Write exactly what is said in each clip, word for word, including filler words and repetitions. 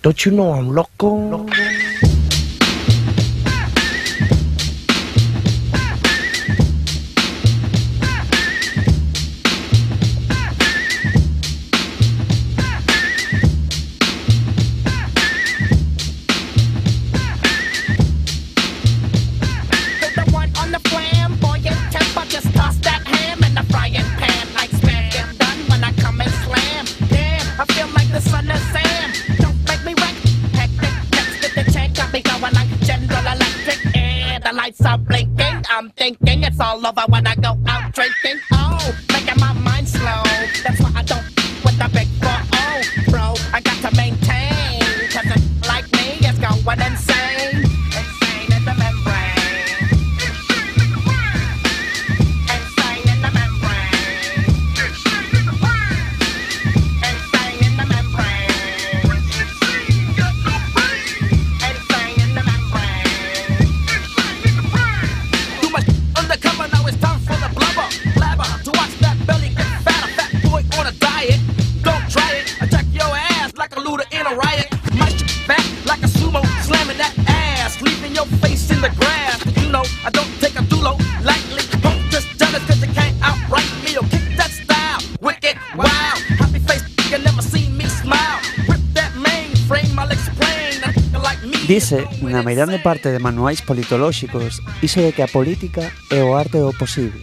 Don't you know I'm loco? loco. I'm thinking it's all over when I go out drinking. Oh, making my mind slow. That's why I don't with the big four oh, bro. I got to maintain, cause a like me is going insane. Insane in the membrane. Insane in the membrane. Insane in the membrane. Insane in the membrane. Insane in the membrane. Too much undercover, now it's time for the blubber. Blabber, to watch that belly get fatter. Fat boy on a diet, don't try it. Attack your ass like a looter in a riot. My shit back like a sumo, slamming that ass, leaving your face in the grass. You know, I don't take a dulo lightly. Don't just jealous cause you can't outright me. Or kick that style, wicked, wow. Happy face, you never see me smile. Rip that mainframe, I'll explain. A nigga like me. Dice, na meirande parte de manuais politolóxicos, iso de que a política é o arte do posible.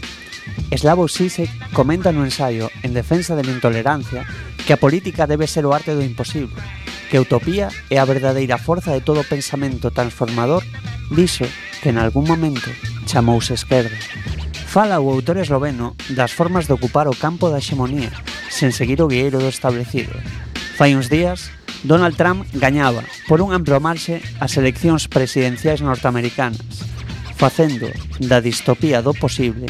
Slavoj Žižek comenta no ensaio En defensa de la intolerancia que a política debe ser o arte do imposible, que a utopía é a verdadeira forza de todo pensamento transformador diso que en algún momento chamouse esquerda. Fala o autor esloveno das formas de ocupar o campo da hexemonía sen seguir o guieiro do establecido. Fai uns días, Donald Trump gañaba por un amplo marxe as eleccións presidenciais norteamericanas, facendo da distopía do posible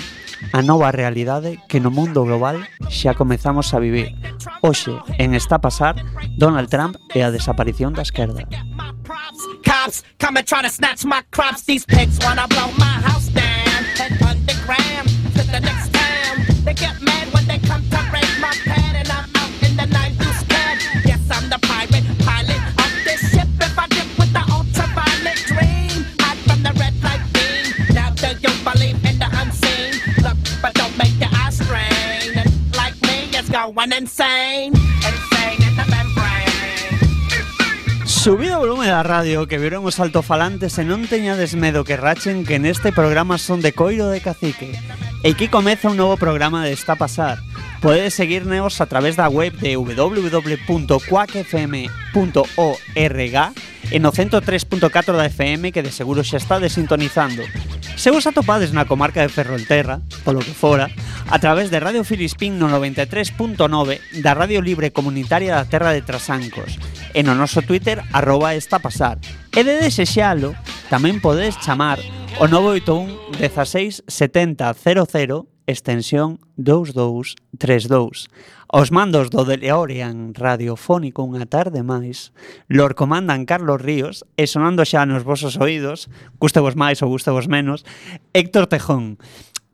a nova realidade que no mundo global xa comezamos a vivir. Hoxe, en Está a Pasar, Donald Trump e a desaparición da esquerda. Cops come and try to snatch my crops. These pigs wanna blow my house down. Head underground to the next town. They get mad when they come to raid my pad, and I'm out in the night to scared. Yes, I'm the pirate pilot of this ship. If I dip with the ultraviolet dream, hide from the red light beam. Now do you believe in the unseen? Look, but don't make your eyes strain. And like me, it's going insane. Insane in the membrane. Subido o volume da radio, que viron os altofalantes e non teñades medo que rachen que neste programa son de coiro de cacique. E aquí comeza un novo programa de Está a Pasar. Podedes seguirnos a través da web de w w w punto quack f m punto org e no ciento tres punto catro da F M, que de seguro xa está desintonizando. Se vos atopades na comarca de Ferrolterra, polo que fora, a través de Radio Filispín no noventa e tres punto nove da Radio Libre Comunitaria da Terra de Trasancos e no noso Twitter arroba Está a Pasar. E de desexalo, tamén podedes chamar o nove oito un dezasseis setenta cero cero extensión dous dous tres dous. Aos mandos do DeLorean radiofónico unha tarde máis, lor comandan Carlos Ríos e sonando xa nos vosos oídos, gustevos máis ou gustevos menos, Héctor Tejón.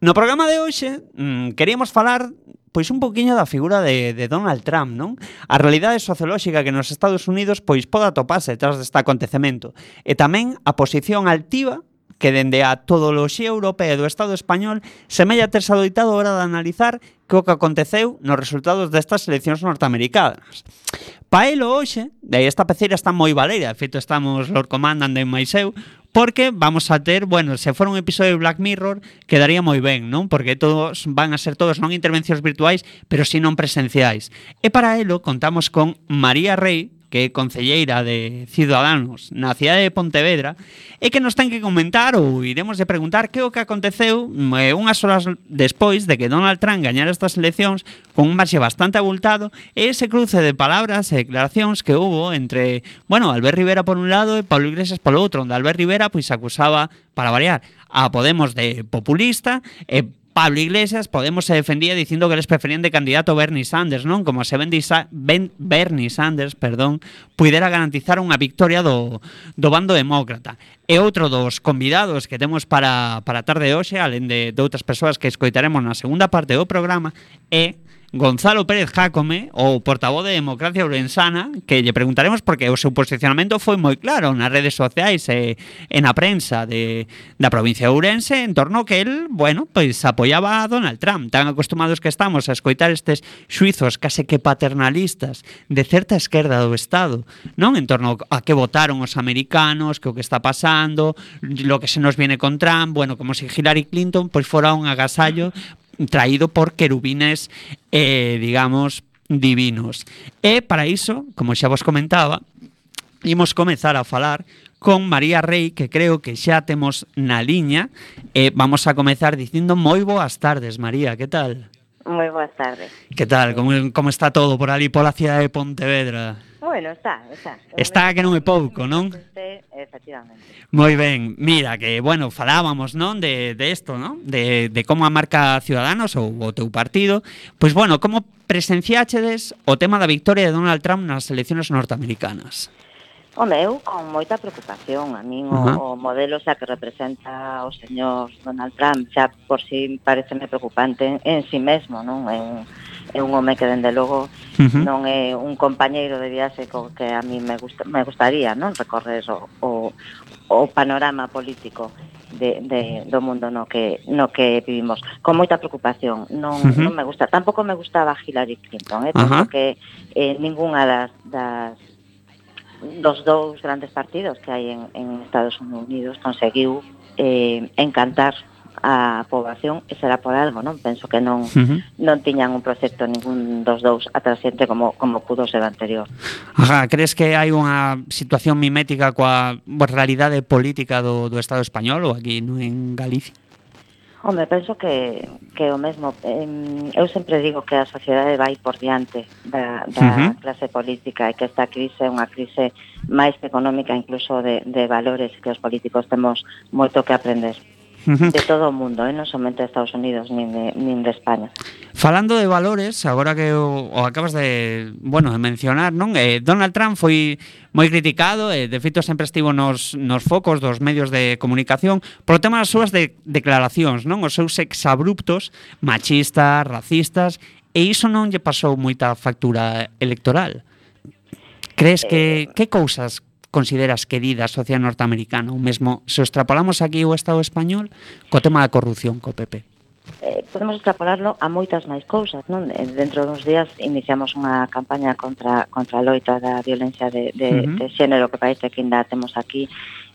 No programa de hoxe mmm, queríamos falar pois un poquinho da figura de, de Donald Trump, non? A realidade sociolóxica que nos Estados Unidos pois pode atoparse detrás deste acontecemento e tamén a posición altiva que dende a todoloxía europea do Estado español semella terse adoitado a hora de analizar que o que aconteceu nos resultados destas eleccións norteamericanas. Pa elo hoxe, de aí esta peceira está moi valeira, de feito estamos Lord Commandant de máis eu, porque vamos a ter, bueno, se fora un episodio de Black Mirror, quedaría moi ben, non? Porque todos van a ser todos non intervencións virtuais, pero si non presenciais. E para elo contamos con María Rey, que é concelleira de Ciudadanos na cidade de Pontevedra, e que nos ten que comentar ou iremos de preguntar que o que aconteceu eh, unhas horas despois de que Donald Trump gañara estas eleccións con un marxe bastante abultado e ese cruce de palabras e declaracións que hubo entre, bueno, Albert Rivera por un lado e Pablo Iglesias polo outro, onde Albert Rivera pois acusaba, para variar, a Podemos de populista e Pablo Iglesias, Podemos se defendía dicindo que eles preferían de candidato Bernie Sanders, non? Como se ben, ben Bernie Sanders, perdón, puidera garantizar unha victoria do, do bando demócrata. E outro dos convidados que temos para, para a tarde de hoxe, alén de, de outras persoas que escoitaremos na segunda parte do programa, é Gonzalo Pérez Jácome, o portavoz de Democracia Ourensana, que lle preguntaremos porque o seu posicionamento foi moi claro nas redes sociais e, e na prensa de, da provincia de Ourense en torno que el, bueno, pois apoiaba a Donald Trump. Tan acostumados que estamos a escoitar estes xuizos case que paternalistas de certa esquerda do Estado, non? En torno a que votaron os americanos, que o que está pasando, lo que se nos viene con Trump, bueno, como se si Hillary Clinton pois fora un agasallo traído por querubines, eh, digamos, divinos. E para iso, como xa vos comentaba, imos comezar a falar con María Rei, que creo que xa temos na liña, e vamos a comezar dicindo moi boas tardes, María, que tal? Moi boas tardes. Que tal? Como, como está todo por ali pola cidade de Pontevedra? Bueno, está, está. Está que non é pouco, non? Efectivamente. Moi ben, mira, que, bueno, falábamos, non, de, de esto, non? De, de como a marca Ciudadanos ou o teu partido. Pois, bueno, como presenciáchedes o tema da victoria de Donald Trump nas eleccións norteamericanas? Home, eu con moita preocupación. A min o, o modelo xa que representa o señor Donald Trump xa por si pareceme preocupante en, en si mesmo, non? É un, é un home que, dende logo, uh-huh. non é un compañeiro de viaxe co que a mí me, gusta, me gustaría, non? Recorrer o, o, o panorama político de, de, do mundo no que, no que vivimos. Con moita preocupación. Non, uh-huh. non me gusta. Tampouco me gustaba Hillary Clinton. Eh? Penso uh-huh. que eh, ningunha das... das dos dous grandes partidos que hai en, en Estados Unidos conseguiu eh, encantar a poboación e será por algo, non? Penso que non uh-huh. non tiñan un proxecto ningún dos dous atrasente como, como pudo ser o anterior. Ajá, crees que hai unha situación mimética coa realidade política do, do Estado español ou aquí no, en Galicia? Home, penso que, que o mesmo. Eh, eu sempre digo que a sociedade vai por diante da, da uh-huh. clase política e que esta crise é unha crise máis económica, incluso de, de valores, que os políticos temos moito que aprender. Uh-huh. De todo o mundo, eh? Non somente de Estados Unidos nin de, nin de España. Falando de valores, agora que o, o acabas de, bueno, de mencionar, non? Eh, Donald Trump foi moi criticado, e de feito sempre estivo nos, nos focos dos medios de comunicación por o tema das súas de, declaracións, non? Os seus exabruptos machistas, racistas, e iso non lle pasou moita factura electoral. Crees que, eh... que cousas consideras que di da sociedade norteamericana, ou mesmo se o extrapolamos aquí o Estado español co tema da corrupción co P P? Eh, podemos extrapolarlo a moitas máis cousas, non? Dentro dos días iniciamos unha campaña contra contra a loita da violencia de, de, uh-huh. de xénero, que parece que ainda temos aquí,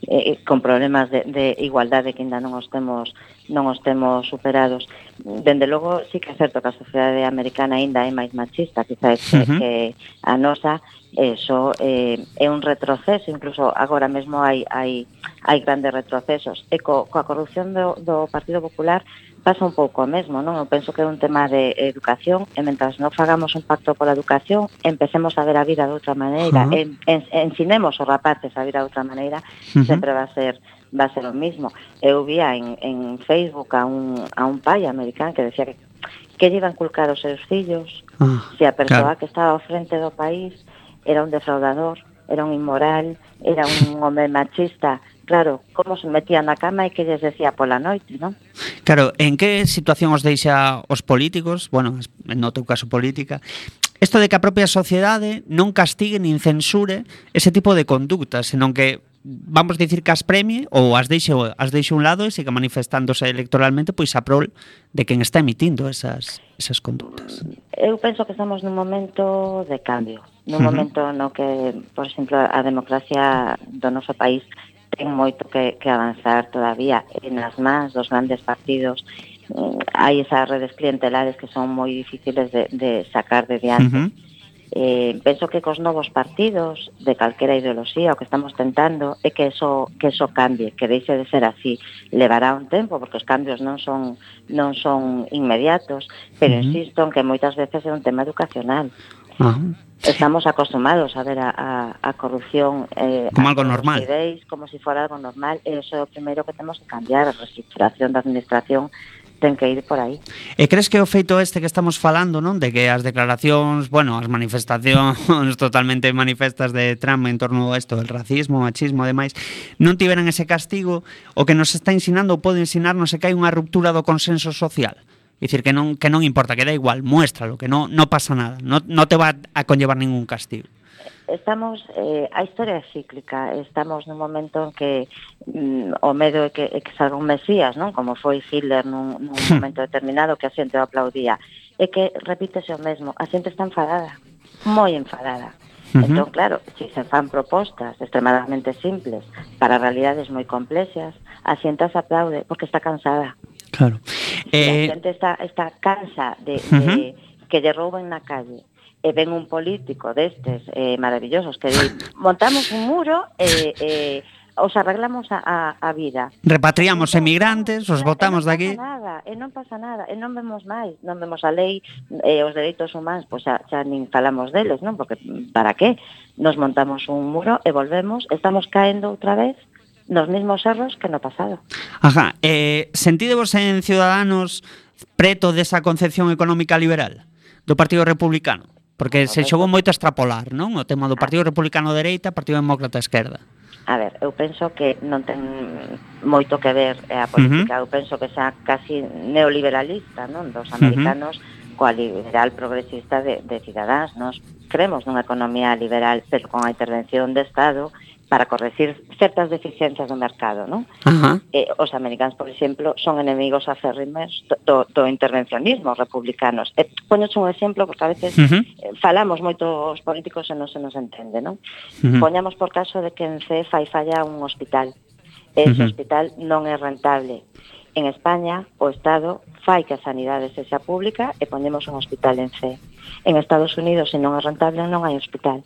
eh, con problemas de, de igualdade que ainda non os temos non os temos superados. Dende logo, sí que é certo que a sociedade americana ainda é máis machista, quizás que, uh-huh. que a nosa. Eso eh, é un retroceso, incluso agora mesmo hai, hai, hai grandes retrocesos. E co, coa corrupción do, do Partido Popular pasa un pouco o mesmo, non? Eu penso que é un tema de educación, e mentras non fagamos un pacto pola educación, empecemos a ver a vida de outra maneira, uh-huh. en, en, ensinemos os rapaces a ver a outra maneira, uh-huh. sempre va a ser va a ser o mismo. Eu vía en, en Facebook a un, a un pai americano que decía que que lle iban inculcar os seus fillos, uh, se a persoa claro. que estaba ao frente do país era un defraudador, era un inmoral, era un home machista. Claro, como se metía na cama e que lles decía pola noite, non? Claro, en que situación os deixa os políticos, bueno, no teu caso política, isto de que a propia sociedade non castigue nin censure ese tipo de conductas, senón que, vamos dicir, que as premie ou as deixe, as deixe un lado e siga manifestándose electoralmente pois a prol de quen está emitindo esas, esas conductas. Eu penso que estamos nun momento de cambio, nun uh-huh. momento no que, por exemplo, a democracia do noso país ten moito que, que avanzar todavía. E nas mans dos grandes partidos hai esas redes clientelares que son moi difíciles de, de sacar de diante. Uh-huh. Eh, penso que cos novos partidos de calquera ideoloxía o que estamos tentando é que eso, que eso cambie, que deixe de ser así. Levará un tempo porque os cambios non son non son inmediatos, pero uh-huh. insisto en que moitas veces é un tema educacional. Uh-huh. Estamos acostumados a ver a, a, a corrupción eh, como algo normal, ideis, como si fora algo normal, e iso é o primeiro que temos que cambiar. A reestructuración da administración ten que ir por aí. E crees que o feito este que estamos falando, non, de que as declaracións, bueno, as manifestacións totalmente manifestas de Trump en torno a isto, el racismo, machismo, ademais, non tiveran ese castigo, o que nos está ensinando ou pode ensinarnos é que hai unha ruptura do consenso social? Dicir que non que non importa, que da igual, muéstralo, que no no pasa nada, no no te va a conllevar ningún castigo. Estamos, eh, a historia é cíclica, estamos nun momento en que mm, o medo é que, é que salga un mesías, non? Como foi Hitler nun, nun momento determinado que a xente o aplaudía. É que repítese o mesmo, a xente está enfadada, moi enfadada. Uh-huh. Entón, claro, se se fan propostas extremadamente simples para realidades moi complexas, a xente se aplaude porque está cansada. Claro. Eh... A xente está, está cansa de, uh-huh. de que lle rouben na calle. E ven un político destes eh, maravillosos que di, montamos un muro e eh, eh, os arreglamos a, a, a vida. Repatriamos non, emigrantes, os botamos de aquí. E non pasa nada, e non pasa nada, e non vemos máis, non vemos a lei e eh, os dereitos humanos, pois xa, xa nin falamos deles, non? Porque para qué? Nos montamos un muro e volvemos, estamos caendo outra vez nos mesmos erros que no pasado. Ajá, eh, sentídevos en Ciudadanos preto desa concepción económica liberal do Partido Republicano? Porque se xogou moito a extrapolar, non? O tema do Partido Republicano dereita, Partido Demócrata esquerda. A ver, eu penso que non ten moito que ver a política, uh-huh. eu penso que xa casi neoliberalista, non? Dos americanos uh-huh. coa liberal progresista de, de Ciudadanos. Nos creemos nunha economía liberal, pero con a intervención de Estado para corregir certas deficiencias do mercado, non? Uh-huh. Eh, os americanos, por exemplo, son enemigos acérrimos do, do intervencionismo republicanos. Eh, Poñoche un exemplo, porque a veces uh-huh. eh, falamos moito os políticos e non se nos entende, non? Uh-huh. Poñamos por caso de que en C E fai falla un hospital. Ese uh-huh. hospital non é rentable. En España, o Estado fai que a sanidade sexa pública e poñemos un hospital en C E. En Estados Unidos, se non é rentable, non hai hospital.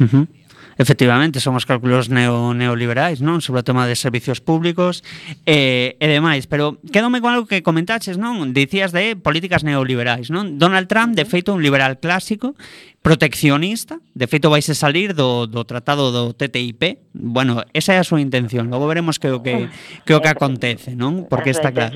Uh-huh. Efectivamente, son os cálculos neo, neoliberais, non? Sobre o tema de servicios públicos e, e demais, pero quédome con algo que comentaches, non? Dicías de políticas neoliberais, non? Donald Trump, de feito, un liberal clásico, proteccionista, de feito vaise salir do, do tratado do T T I P. Bueno, esa é a súa intención, logo veremos que o que, que, o que acontece, non? Porque está claro.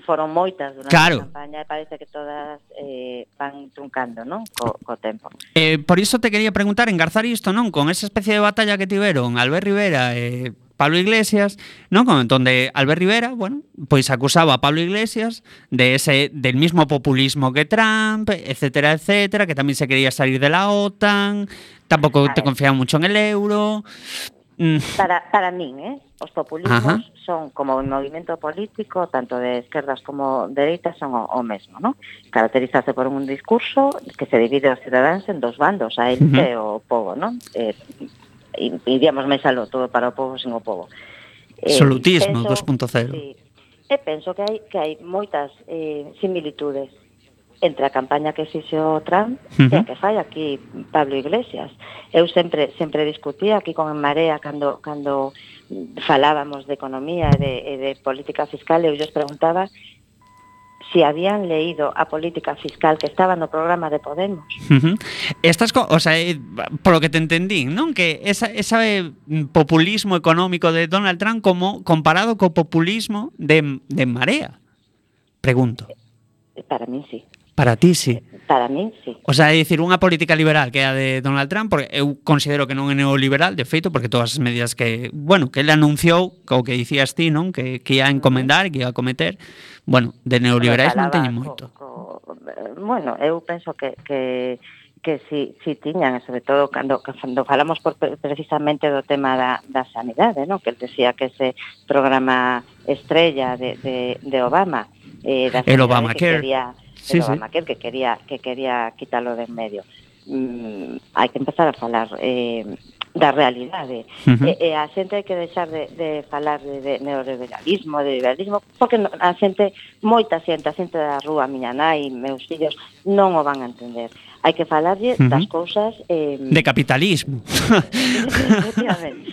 Foron moitas durante claro. a campaña e parece que todas eh, van truncando, non? Co, co tempo. Eh, por iso te quería preguntar, engarzar isto, non? Con esa especie de batalla que tiveron Albert Rivera e eh, Pablo Iglesias, non? Donde Albert Rivera, bueno, pois acusaba a Pablo Iglesias de ese del mismo populismo que Trump, etcétera, etcétera, que tamén se quería salir de la OTAN, tampouco te confiaba mucho en el euro. Mm. Para para min, eh, os populismos Ajá. son como un movimento político, tanto de esquerdas como dereitas, son o, o mesmo, ¿no? Caracterizarse por un discurso que se divide aos cidadáns en dos bandos, a élite e o povo, ¿no? Eh, e iríamos máis aló, todo para o povo sen o povo. Eh, Solutismo dos punto cero. Sí, e penso que hai que hai moitas eh, similitudes entre a campaña que fixo Trump uh-huh. e a que fai aquí Pablo Iglesias. Eu sempre sempre discutía aquí con En Marea cando cando falábamos de economía e de, e de política fiscal, eu lles preguntaba si habían leído a política fiscal que estaba no programa de Podemos. Uh-huh. Estas, co- o sea, eh, por lo que te entendí, non? Que esa, esa eh, populismo económico de Donald Trump como comparado co populismo de, de Marea. Pregunto. Para mí sí. Para ti sí. Para mí sí. O sea, é dicir, unha política liberal que é a de Donald Trump, porque eu considero que non é neoliberal, de feito, porque todas as medidas que, bueno, que ele anunciou, o que dicías ti, non? Que, que ia a encomendar, que ia a cometer, bueno, de neoliberais non teñen moito. Co, co, bueno, eu penso que, que, que si, si tiñan, sobre todo cando, cando falamos por, precisamente do tema da, da sanidade, non? Que ele decía que ese programa estrella de, de, de Obama, eh, da el Obamacare, que quería, sí, el Obamacare sí. que quería que quería quitarlo de en medio. Mm, hai que empezar a falar eh, da realidade. Uh-huh. E, e a xente hai que deixar de, de falar de, de neoliberalismo, de liberalismo, porque a xente, moita xente, a xente da rúa, miña nai, meus fillos, non o van a entender. Hai que falarlle uh-huh. das cousas... Eh, de capitalismo. Efectivamente.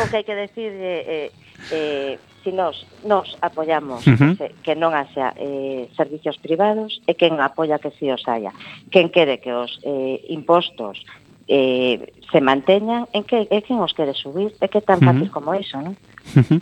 O que hai que decir eh, eh, si nos, nos apoyamos uh-huh. que, que non haxa eh, servicios privados e quen apoia que si os haya. Quen quere que os eh, impostos eh, se manteñan, en que é quen os quere subir, é que é tan fácil uh-huh. como iso, non? Uh-huh.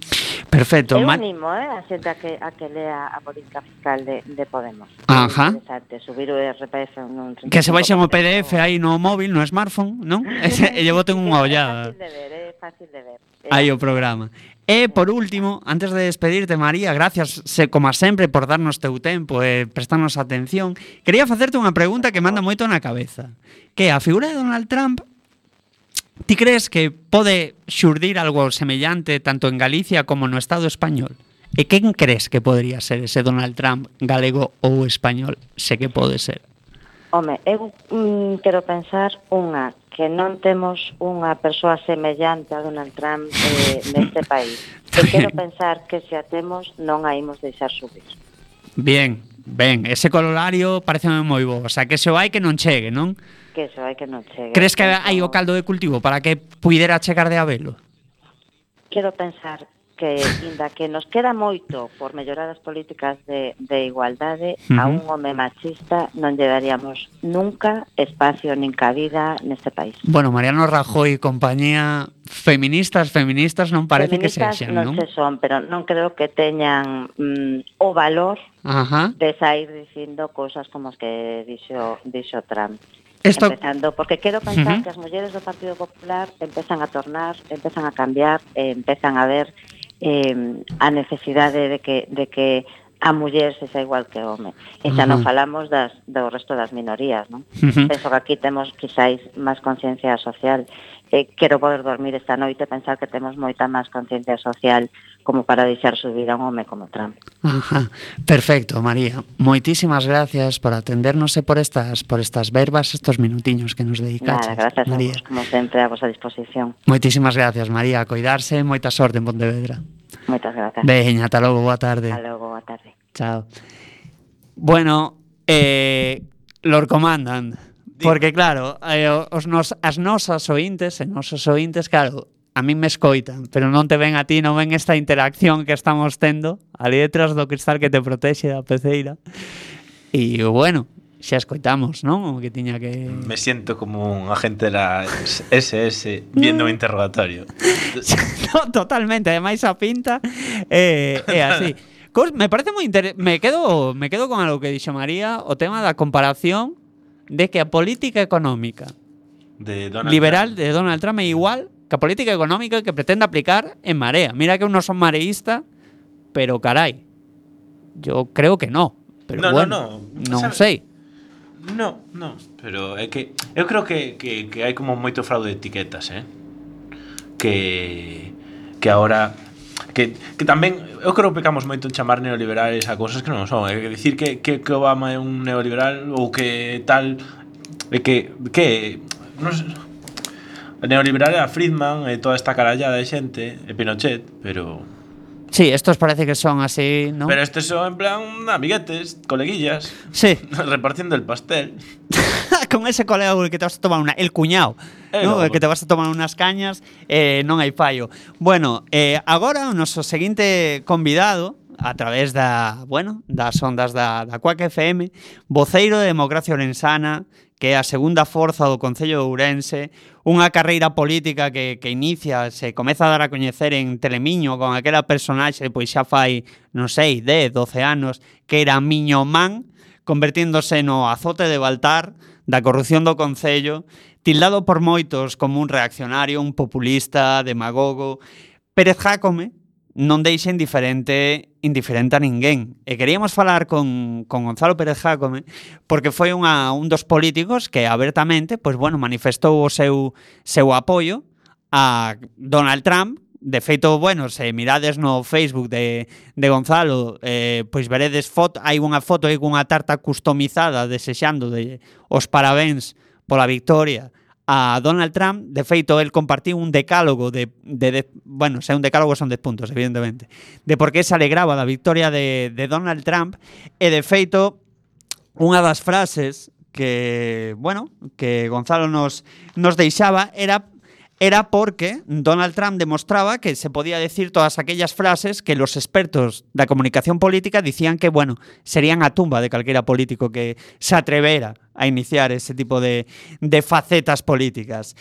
Perfecto. Eu animo, eh, a xente a que, a que lea a política fiscal de, de Podemos. Ajá. É subir o R P F nun que se baixe o P D F aí no móvil, no smartphone, non? E lle boten unha ollada. É fácil de ver, é fácil de ver. Aí o programa. E, por último, antes de despedirte, María, gracias, se, como sempre, por darnos teu tempo e prestarnos atención. Quería facerte unha pregunta que manda moito na cabeza. Que a figura de Donald Trump, ti crees que pode xurdir algo semellante tanto en Galicia como no Estado español? E quen crees que podría ser ese Donald Trump galego ou español? Se que pode ser. Home, eu mm, quero pensar unha, que non temos unha persoa semellante a Donald Trump eh, neste país. E quero pensar que se a temos non a imos deixar subir. Bien, ben, ese colorario parece moi bo. O sea, que se o hai que non chegue, non? Que se hai que non chegue. Crees que hai o caldo de cultivo para que puidera chegar de habelo? Quero pensar que, inda que nos queda moito por mellorar as políticas de, de igualdade, uh-huh. a un home machista non lle daríamos nunca espacio nin cabida neste país. Bueno, Mariano Rajoy e compañía, feministas, feministas non parece feministas que sexan, non? non se son, pero non creo que teñan mm, o valor Ajá. de sair dicindo cousas como as que dixo, dixo Trump. Esto... Empezando, porque quero pensar uh-huh. que as mulleres do Partido Popular empezan a tornar, empezan a cambiar, eh, empezan a ver eh, a necesidade de que, de que a muller se xa igual que o home. E xa uh-huh. non falamos das, do resto das minorías, non? Uh-huh. Penso que aquí temos quizáis máis conciencia social. Eh, quero poder dormir esta noite e pensar que temos moita máis conciencia social como para deixar subir a un home como Trump. Ajá. Perfecto, María. Moitísimas gracias por atendernos e por estas por estas verbas, estos minutiños que nos dedicaches. Nada, gracias María. a vos, como sempre, a vosa disposición. Moitísimas gracias, María. A coidarse, moita sorte en Pontevedra. Moitas gracias. Veña, ata logo, boa tarde. Ata logo, boa tarde. Chao. Bueno, eh, Lord Commandant, porque claro, eh, os nos, as nosas ointes, e nosos ointes, claro, a mí me escoitan, pero non te ven a ti, non ven esta interacción que estamos tendo ali detrás do cristal que te protexe da peceira. E bueno, xa escoitamos, non? O que tiña que... Me siento como un agente de la S S viendo un interrogatorio. No, totalmente, ademais a pinta é eh, eh, así. Cos, me parece moi inter... me quedo me quedo con algo que dixo María, o tema da comparación de que a política económica de Donald liberal Trump. de Donald Trump é igual que a política económica que pretende aplicar en Marea. Mira que eu non son mareísta, pero carai, yo creo que no. Pero no, bueno, no, no. non ¿Sabes? sei. No, no, pero é que eu creo que, que, que hai como moito fraude de etiquetas, eh? Que que agora que, que tamén eu creo que pecamos moito en chamar neoliberales a cousas que non son, é dicir que, que, que Obama é un neoliberal ou que tal é que que non sei, o neoliberal era Friedman e toda esta carallada de xente e Pinochet, pero Sí, estos parece que son así, ¿no? Pero estos son en plan amiguetes, coleguillas. Sí. Repartiendo el pastel. Con ese colega que te vas a tomar una... El cuñado, eh, ¿no? no, Que te vas a tomar unas cañas, eh, non hai fallo. Bueno, eh, agora o noso seguinte convidado, a través da, bueno, das ondas da, da Cuac F M, voceiro de Democracia Orensana, que é a segunda forza do Concello de Ourense, unha carreira política que, que inicia, se comeza a dar a coñecer en Telemiño con aquela personaxe, pois xa fai, non sei, dez, doce anos, que era Miño Man, convertíndose no azote de Baltar da corrupción do Concello, tildado por moitos como un reaccionario, un populista, demagogo. Pérez Jácome non deixa indiferente indiferente a ninguén. E queríamos falar con, con Gonzalo Pérez Jácome porque foi unha, un dos políticos que abertamente, pois bueno, manifestou o seu, seu apoio a Donald Trump. De feito, bueno, se mirades no Facebook de, de Gonzalo, eh, pois veredes foto, hai unha foto aí cunha tarta customizada desexando de os parabéns pola victoria a Donald Trump. De feito, el compartiu un decálogo de, de, de bueno, se un decálogo son dez puntos, evidentemente, de por que se alegraba da victoria de, de Donald Trump. E de feito, unha das frases que, bueno, que Gonzalo nos, nos deixaba era era porque Donald Trump demostraba que se podía decir todas aquellas frases que los expertos da comunicación política dicían que, bueno, serían a tumba de calquera político que se atrevera a iniciar ese tipo de, de facetas políticas.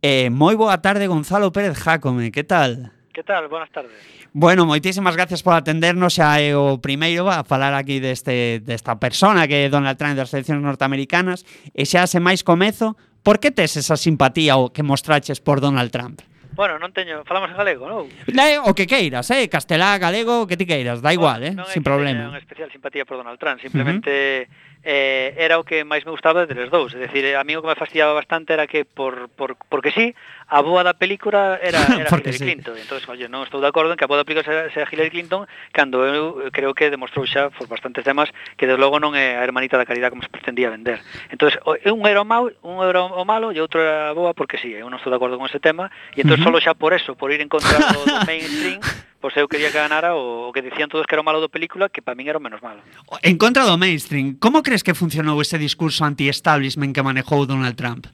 Eh, moi boa tarde, Gonzalo Pérez Jácome, que tal? Que tal? Buenas tardes. Bueno, moitísimas gracias por atendernos. Xa é o primeiro a falar aquí deste, desta persona que é Donald Trump das eleccións norteamericanas. E xa se máis comezo, por que tes esa simpatía o que mostraches por Donald Trump? Bueno, non teño, falamos en galego, non? Le, o que queiras, eh, castelá, galego, o que ti queiras, da igual, eh, non é sin que problema. teña unha especial simpatía por Donald Trump, simplemente uh-huh. eh, era o que máis me gustaba deles dous, é dicir, a mí o que me fastidiaba bastante era que por, por porque sí, a boa da película era, era Hillary sí. Clinton, entonces, oye, non estou de acordo en que a boa da película sea, sea Hillary Clinton, cando eu creo que demostrou xa por bastantes temas que desde logo non é a hermanita da caridade como se pretendía vender. Entonces, un era o mau, un era o malo e outro era a boa porque sí, eu non estou de acordo con ese tema, e entón uh-huh. solo xa por eso, por ir en contra do, do mainstream, pois eu quería que ganara o, o que decían todos que era o malo da película, que para min era o menos malo. En contra do mainstream, como crees que funcionou ese discurso anti-establishment que manejou Donald Trump?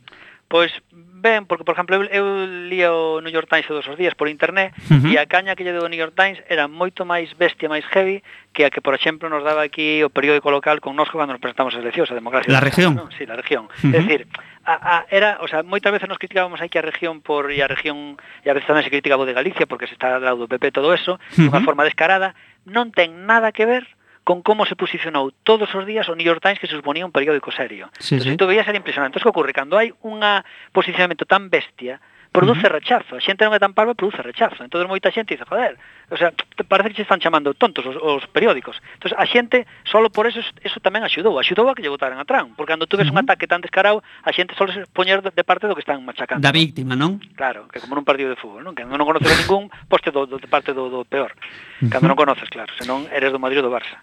Pois ben, porque, por exemplo, eu, eu lía o New York Times todos os días por internet uh-huh. e a caña que lle deu o New York Times era moito máis bestia, máis heavy que a que, por exemplo, nos daba aquí o periódico local con nós cando nos presentamos as eleccións, a democracia. La región? ¿no? Sí, la región. Uh-huh. É dicir, a, a, era, o sea, moitas veces nos criticábamos aí que a región por e a región e a veces tamén se criticaba de Galicia porque se está ao lado do P P todo eso, uh-huh. de unha forma descarada, non ten nada que ver con como se posicionou todos os días o New York Times, que se suponía un periódico serio. Sí, entón, sí. tú veías, era impresionante. Entón, que ocurre? Cando hai un posicionamento tan bestia, produce uh-huh. rechazo. A xente non é tan parva, produce rechazo. Entón, moita xente dice, joder, o sea, parece que se están chamando tontos os, os periódicos. Entón, a xente, solo por eso, eso tamén axudou. Axudou a que lle votaran a Trump. Porque cando tú ves uh-huh. un ataque tan descarado, a xente solo se poñer de parte do que están machacando. Da víctima, non? Claro, que como nun partido de fútbol, non? Que non conoces a ningún, poste do, do, de parte do, do peor. Cando uh-huh. non conoces, claro. Senón eres do Madrid ou do Barça.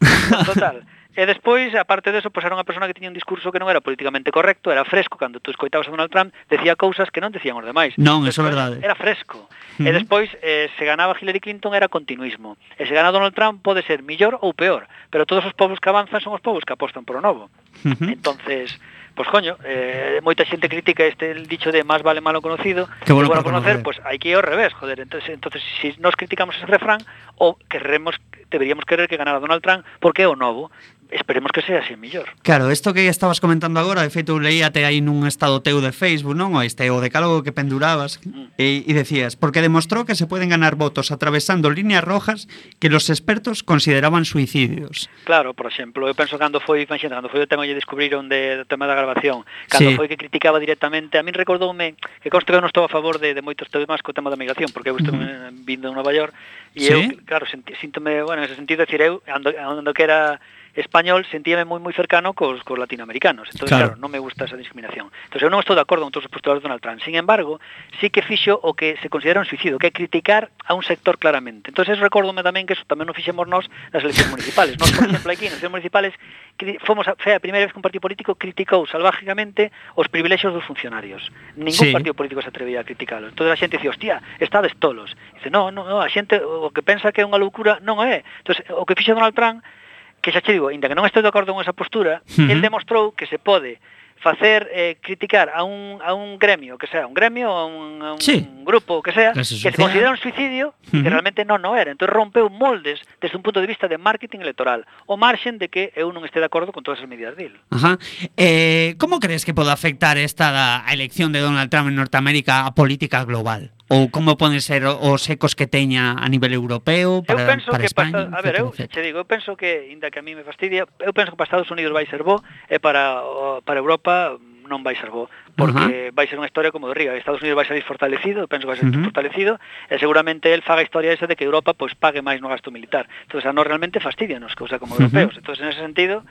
Total. E despois, aparte deso, pois era unha persona que tiña un discurso que non era políticamente correcto, era fresco, cando tú escoitabas a Donald Trump, decía cousas que non decían os demais. Non, eso é verdade. Era fresco. Uh-huh. E despois, eh, se ganaba Hillary Clinton era continuismo. E se gana Donald Trump pode ser millor ou peor, pero todos os povos que avanzan son os povos que apostan por o novo. Uh-huh. Entonces, pois coño, eh, moita xente critica este el dicho de más vale malo conocido que bueno, bueno conocer, pois hai que ir ao revés, joder. Entonces, entonces si nos criticamos ese refrán, o queremos, deberíamos querer que ganara Donald Trump porque é o novo. Esperemos que sea así mellor. Claro, isto que estabas comentando agora, de feito, leíate aí nun estado teu de Facebook, non? O este o decálogo que pendurabas mm. e, e decías, porque demostró que se pueden ganar votos atravesando líneas rojas que los expertos consideraban suicidios. Claro, por exemplo, eu penso cando foi, imagina, cando foi o tema que descubriron de, do tema da grabación, cando sí. foi que criticaba directamente, a min recordoume que consto que eu non estou a favor de, de moitos temas co tema da migración, porque eu estou uh-huh. vindo en Nova York, e ¿sí? eu, claro, senti, síntome, bueno, en ese sentido, decir, eu, ando, ando que era español, sentíame moi moi cercano cos, cos latinoamericanos. Entón, claro. claro, non me gusta esa discriminación. Entón, eu non estou de acordo con todos os postulados de Donald Trump. Sin embargo, sí que fixo o que se considera un suicidio, que é criticar a un sector claramente. Entón, eso recordome tamén que eso tamén non fixemos nós nas eleccións municipales. Nós, por exemplo, aquí nas eleccións municipales fomos a, foi a primeira vez que un partido político criticou salvajemente os privilexios dos funcionarios. Ningún sí. partido político se atrevía a criticarlo. Entón, a xente dicía, hostia, estades tolos. Dice, no, no, no, a xente o que pensa que é unha loucura non é. Entón, o que fixo Donald Trump, que xa che digo, ainda que non estou de acordo con esa postura, uh-huh. el demostrou que se pode facer eh, criticar a un a un gremio, que sea un gremio, a un, a un sí. grupo, que sea, que se considera un suicidio, uh-huh. que realmente non no era. Entón rompeu moldes desde un punto de vista de marketing electoral, o marxen de que eu non este de acordo con todas as medidas dele. Ajá. Eh, como crees que pode afectar esta a elección de Donald Trump en Norteamérica a política global? Ou como poden ser os ecos que teña a nivel europeo para, eu penso para que España? Para, a ver, eu te digo, eu penso que, inda que a mí me fastidia, eu penso que para Estados Unidos vai ser bo, e para, para Europa non vai ser bo, porque uh-huh. vai ser unha historia como de Riga. Estados Unidos vai salir fortalecido, eu penso que vai ser uh-huh. fortalecido, e seguramente el faga a historia esa de que Europa pois pague máis no gasto militar. Entón, a nós realmente fastidianos, cousa como uh-huh. europeos. Entón, en ese sentido,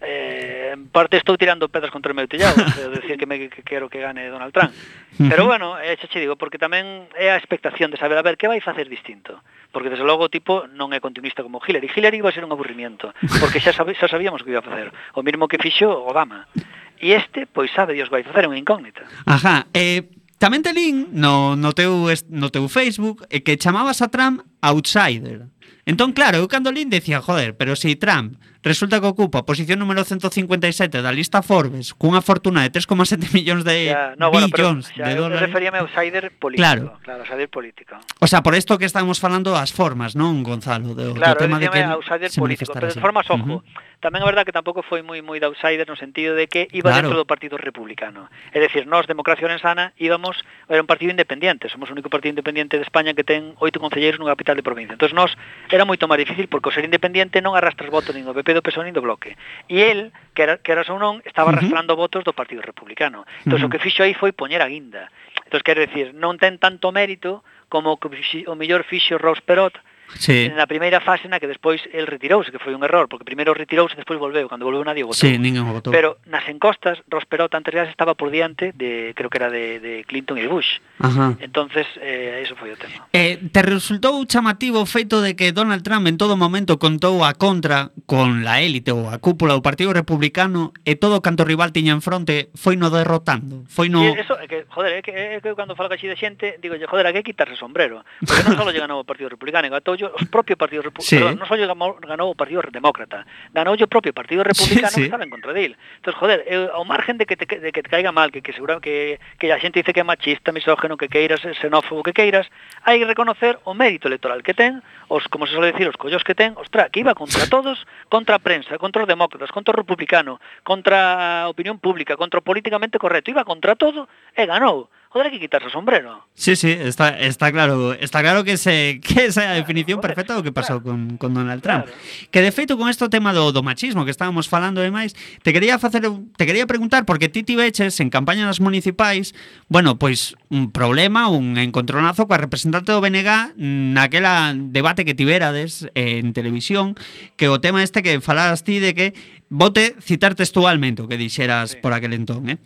eh, en parte estou tirando pedras contra o meu tellado, de decir que, me, que quero que gane Donald Trump. Pero bueno, eh, xa che digo, porque tamén é a expectación de saber, a ver, que vai facer distinto. Porque desde logo o tipo non é continuista como Hillary. Hillary vai ser un aburrimiento, porque xa, sabe, xa sabíamos que iba a facer. O mismo que fixo Obama. E este, pois sabe Dios vai facer unha incógnita. Ajá, eh... tamén te lín no, no, teu, no teu Facebook e que chamabas a Trump outsider. Entón, claro, eu cando lín decía, joder, pero se si Trump resulta que ocupa a posición número ciento cincuenta e sete da lista Forbes cunha fortuna de tres coma sete millóns de ya, no, bueno, billóns pero, de dólares. Eu referíame a outsider político. Claro, claro, outsider político. O sea, por isto que estamos falando as formas, non, Gonzalo? Do, claro, do tema de que outsider político, pero de formas, ojo, uh-huh. tamén é verdad que tampouco foi moi moi de outsider no sentido de que iba claro. dentro do Partido Republicano. É dicir, nós, Democracia Orensana, íbamos, era un partido independiente, somos o único partido independiente de España que ten oito concelleiros nunha capital de provincia. Entón, nós, era moito máis difícil porque o ser independiente non arrastras votos nin do P P, do P S O E nin do Bloque. E el, que era, que era ou non, estaba arrastrando uh-huh. votos do Partido Republicano. Entón, uh-huh. o que fixo aí foi poñer a guinda. Entón, quero dicir, non ten tanto mérito como que o mellor fixo Ross Perot sí. na primeira fase na que despois el retirouse, que foi un error, porque primeiro retirouse e despois volveu, cando volveu nadie o votou. Sí, ninguén o votou. Pero nas encostas, Ross Perot antes ya estaba por diante de, creo que era de, de Clinton e Bush. Ajá. Entonces, eh, eso foi o tema. Eh, te resultou chamativo o feito de que Donald Trump en todo momento contou a contra con la élite ou a cúpula do Partido Republicano e todo canto rival tiña en fronte foi no derrotando? Foi no... E eso, é que, joder, é que, é que cando falo caxi de xente, digo, joder, hai que quitarse o sombrero. Porque non só lle ganou o Partido Republicano, gatou o propio Partido Republicano, sí. non só lle ganou o Partido Demócrata, ganou o propio Partido Republicano sí, sí. que estaba en contra dele. Entón, joder, eu, ao margen de que te, de que te caiga mal, que, que seguro que, que a xente dice que é machista, misógeno, que queiras, xenófobo, que queiras, hai que reconocer o mérito electoral que ten, os, como se suele decir, os collos que ten, ostra, que iba contra todos, contra a prensa, contra os demócratas, contra o republicano, contra a opinión pública, contra o políticamente correcto, iba contra todo e ganou. Joder, hai que quitarse o sombrero. Sí, sí, está, está claro, está claro que se que esa é a definición claro, perfecta do que pasou claro. con, con Donald Trump. Claro. Que de feito con este tema do, do machismo que estábamos falando e máis, te quería facer te quería preguntar porque ti tiveches en campañas municipais, bueno, pois un problema, un encontronazo coa representante do B N G naquela debate que tiverades en televisión, que o tema este que falaras ti de que vote citar textualmente o que dixeras sí. por aquel entón, eh?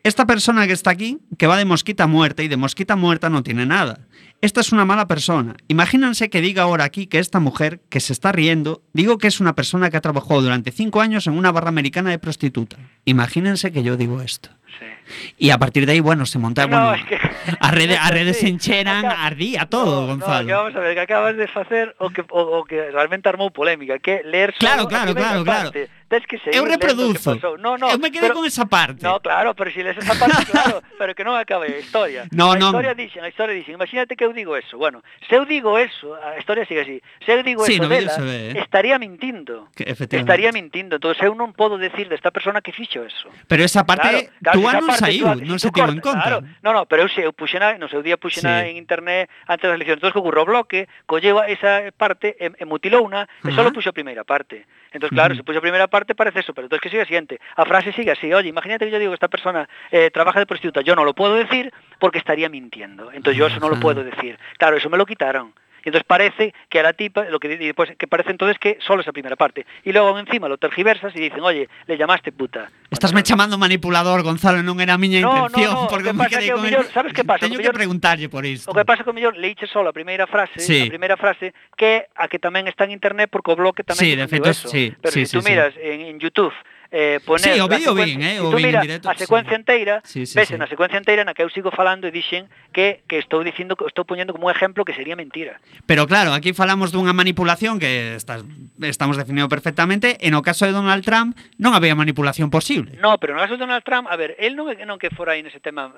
Esta persona que está aquí, que va de mosquita muerta y de mosquita muerta no tiene nada. Esta es una mala persona. Imagínense que diga ahora aquí que esta mujer, que se está riendo, digo que es una persona que ha trabajado durante cinco años en una barra americana de prostituta. Imagínense que yo digo esto. Sí. Y a partir de ahí, bueno, se monta, no, bueno, es que... a redes, a redes sí, se encheran, acá... ardía todo, no, Gonzalo. No, que vamos a ver, que acabas de facer o que, o, o que realmente armou polémica, que leer Claro, solo claro, claro, claro. Tes que seguir eu reproduzo. No, no, eu me quedé pero, con esa parte. No, claro, pero si lees esa parte, claro, pero que non acabe a historia. No, a no. historia dixen, a historia dixen, imagínate que eu digo eso. Bueno, se eu digo eso, a historia sigue así. Se eu digo sí, eso no dela, ve, eh? estaría mintindo. Que, estaría mintindo. Entonces eu non podo decir desta persona que fixo eso. Pero esa parte, claro, claro, tú esa non parte, saiu, tú, non si se tivo en conta. Claro. No, no, pero eu se eu puxena, no seu día puxena sí. en internet antes das eleccións. Entón, que ocurre o bloque, colleu esa parte e, e mutilouna, e só puxo a primeira parte. Entón, claro, uh -huh. se puxo a primeira parte parece eso, pero entón que sigue a siguiente. A frase sigue así, oye, imagínate que yo digo que esta persona eh, trabaja de prostituta, yo no lo puedo decir porque estaría mintiendo. Entonces yo eso no lo puedo decir. Claro, eso me lo quitaron. Y entonces parece que a la tipa, lo que y después que parece entonces que solo esa primera parte. Y luego encima lo tergiversas y dicen, oye, le llamaste puta. Estás me chamando manipulador, Gonzalo, non era a miña no, intención. No, no, porque o que me pasa quedé que o con mellor, el... sabes que pasa? Teño que mellor... preguntarlle por isto. O que pasa que o mellor leiche solo a primeira frase, sí. a primeira frase, que a que tamén está en internet porque o bloque tamén sí, de feito, eso. Sí, pero sí, si tú sí, miras sí. en, en YouTube eh, poner sí, o vídeo bien, eh, si o tú bien miras directo, a secuencia sí. inteira, sí, sí, ves sí. na secuencia inteira na que eu sigo falando e dixen que, que estou dicindo, estou poñendo como un ejemplo que sería mentira. Pero claro, aquí falamos dunha manipulación que estás, estamos definido perfectamente, e no caso de Donald Trump non había manipulación posible. No, pero no caso de Donald Trump, a ver, él non é non que fora aí nese tema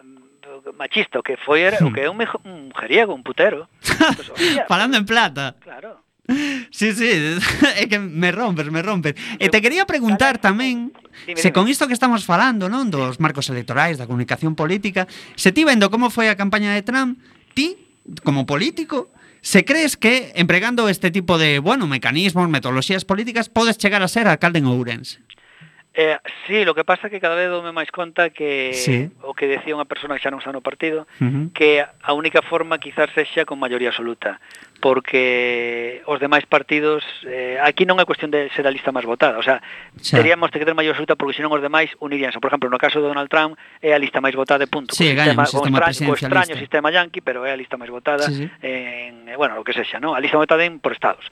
machista, o que foi era o que é un, mejo, un mujeriego, un putero. Pues, oye, falando en plata. Claro. Sí, sí, é que me rompes, me rompes. E te quería preguntar tamén dime, se dime. Con isto que estamos falando, non, dos marcos electorais, da comunicación política, se ti vendo como foi a campaña de Trump, ti, como político, se crees que empregando este tipo de, bueno, mecanismos, metodoloxías políticas, podes chegar a ser alcalde en Ourense? Eh, sí, lo que pasa é que cada vez dome máis conta que sí. o que decía unha persona que xa non está no partido, uh-huh. que a única forma quizás sexa con maioría absoluta, porque os demais partidos eh, aquí non é cuestión de ser a lista máis votada, o sea, xa. teríamos que ter maioría absoluta porque senón os demais uniríanse. Por exemplo, no caso de Donald Trump é a lista máis votada de punto, sí, co sistema, sistema, sistema co extraño sistema yankee, pero é a lista máis votada sí, sí. en, bueno, o que sexa, ¿no? A lista votada en por estados.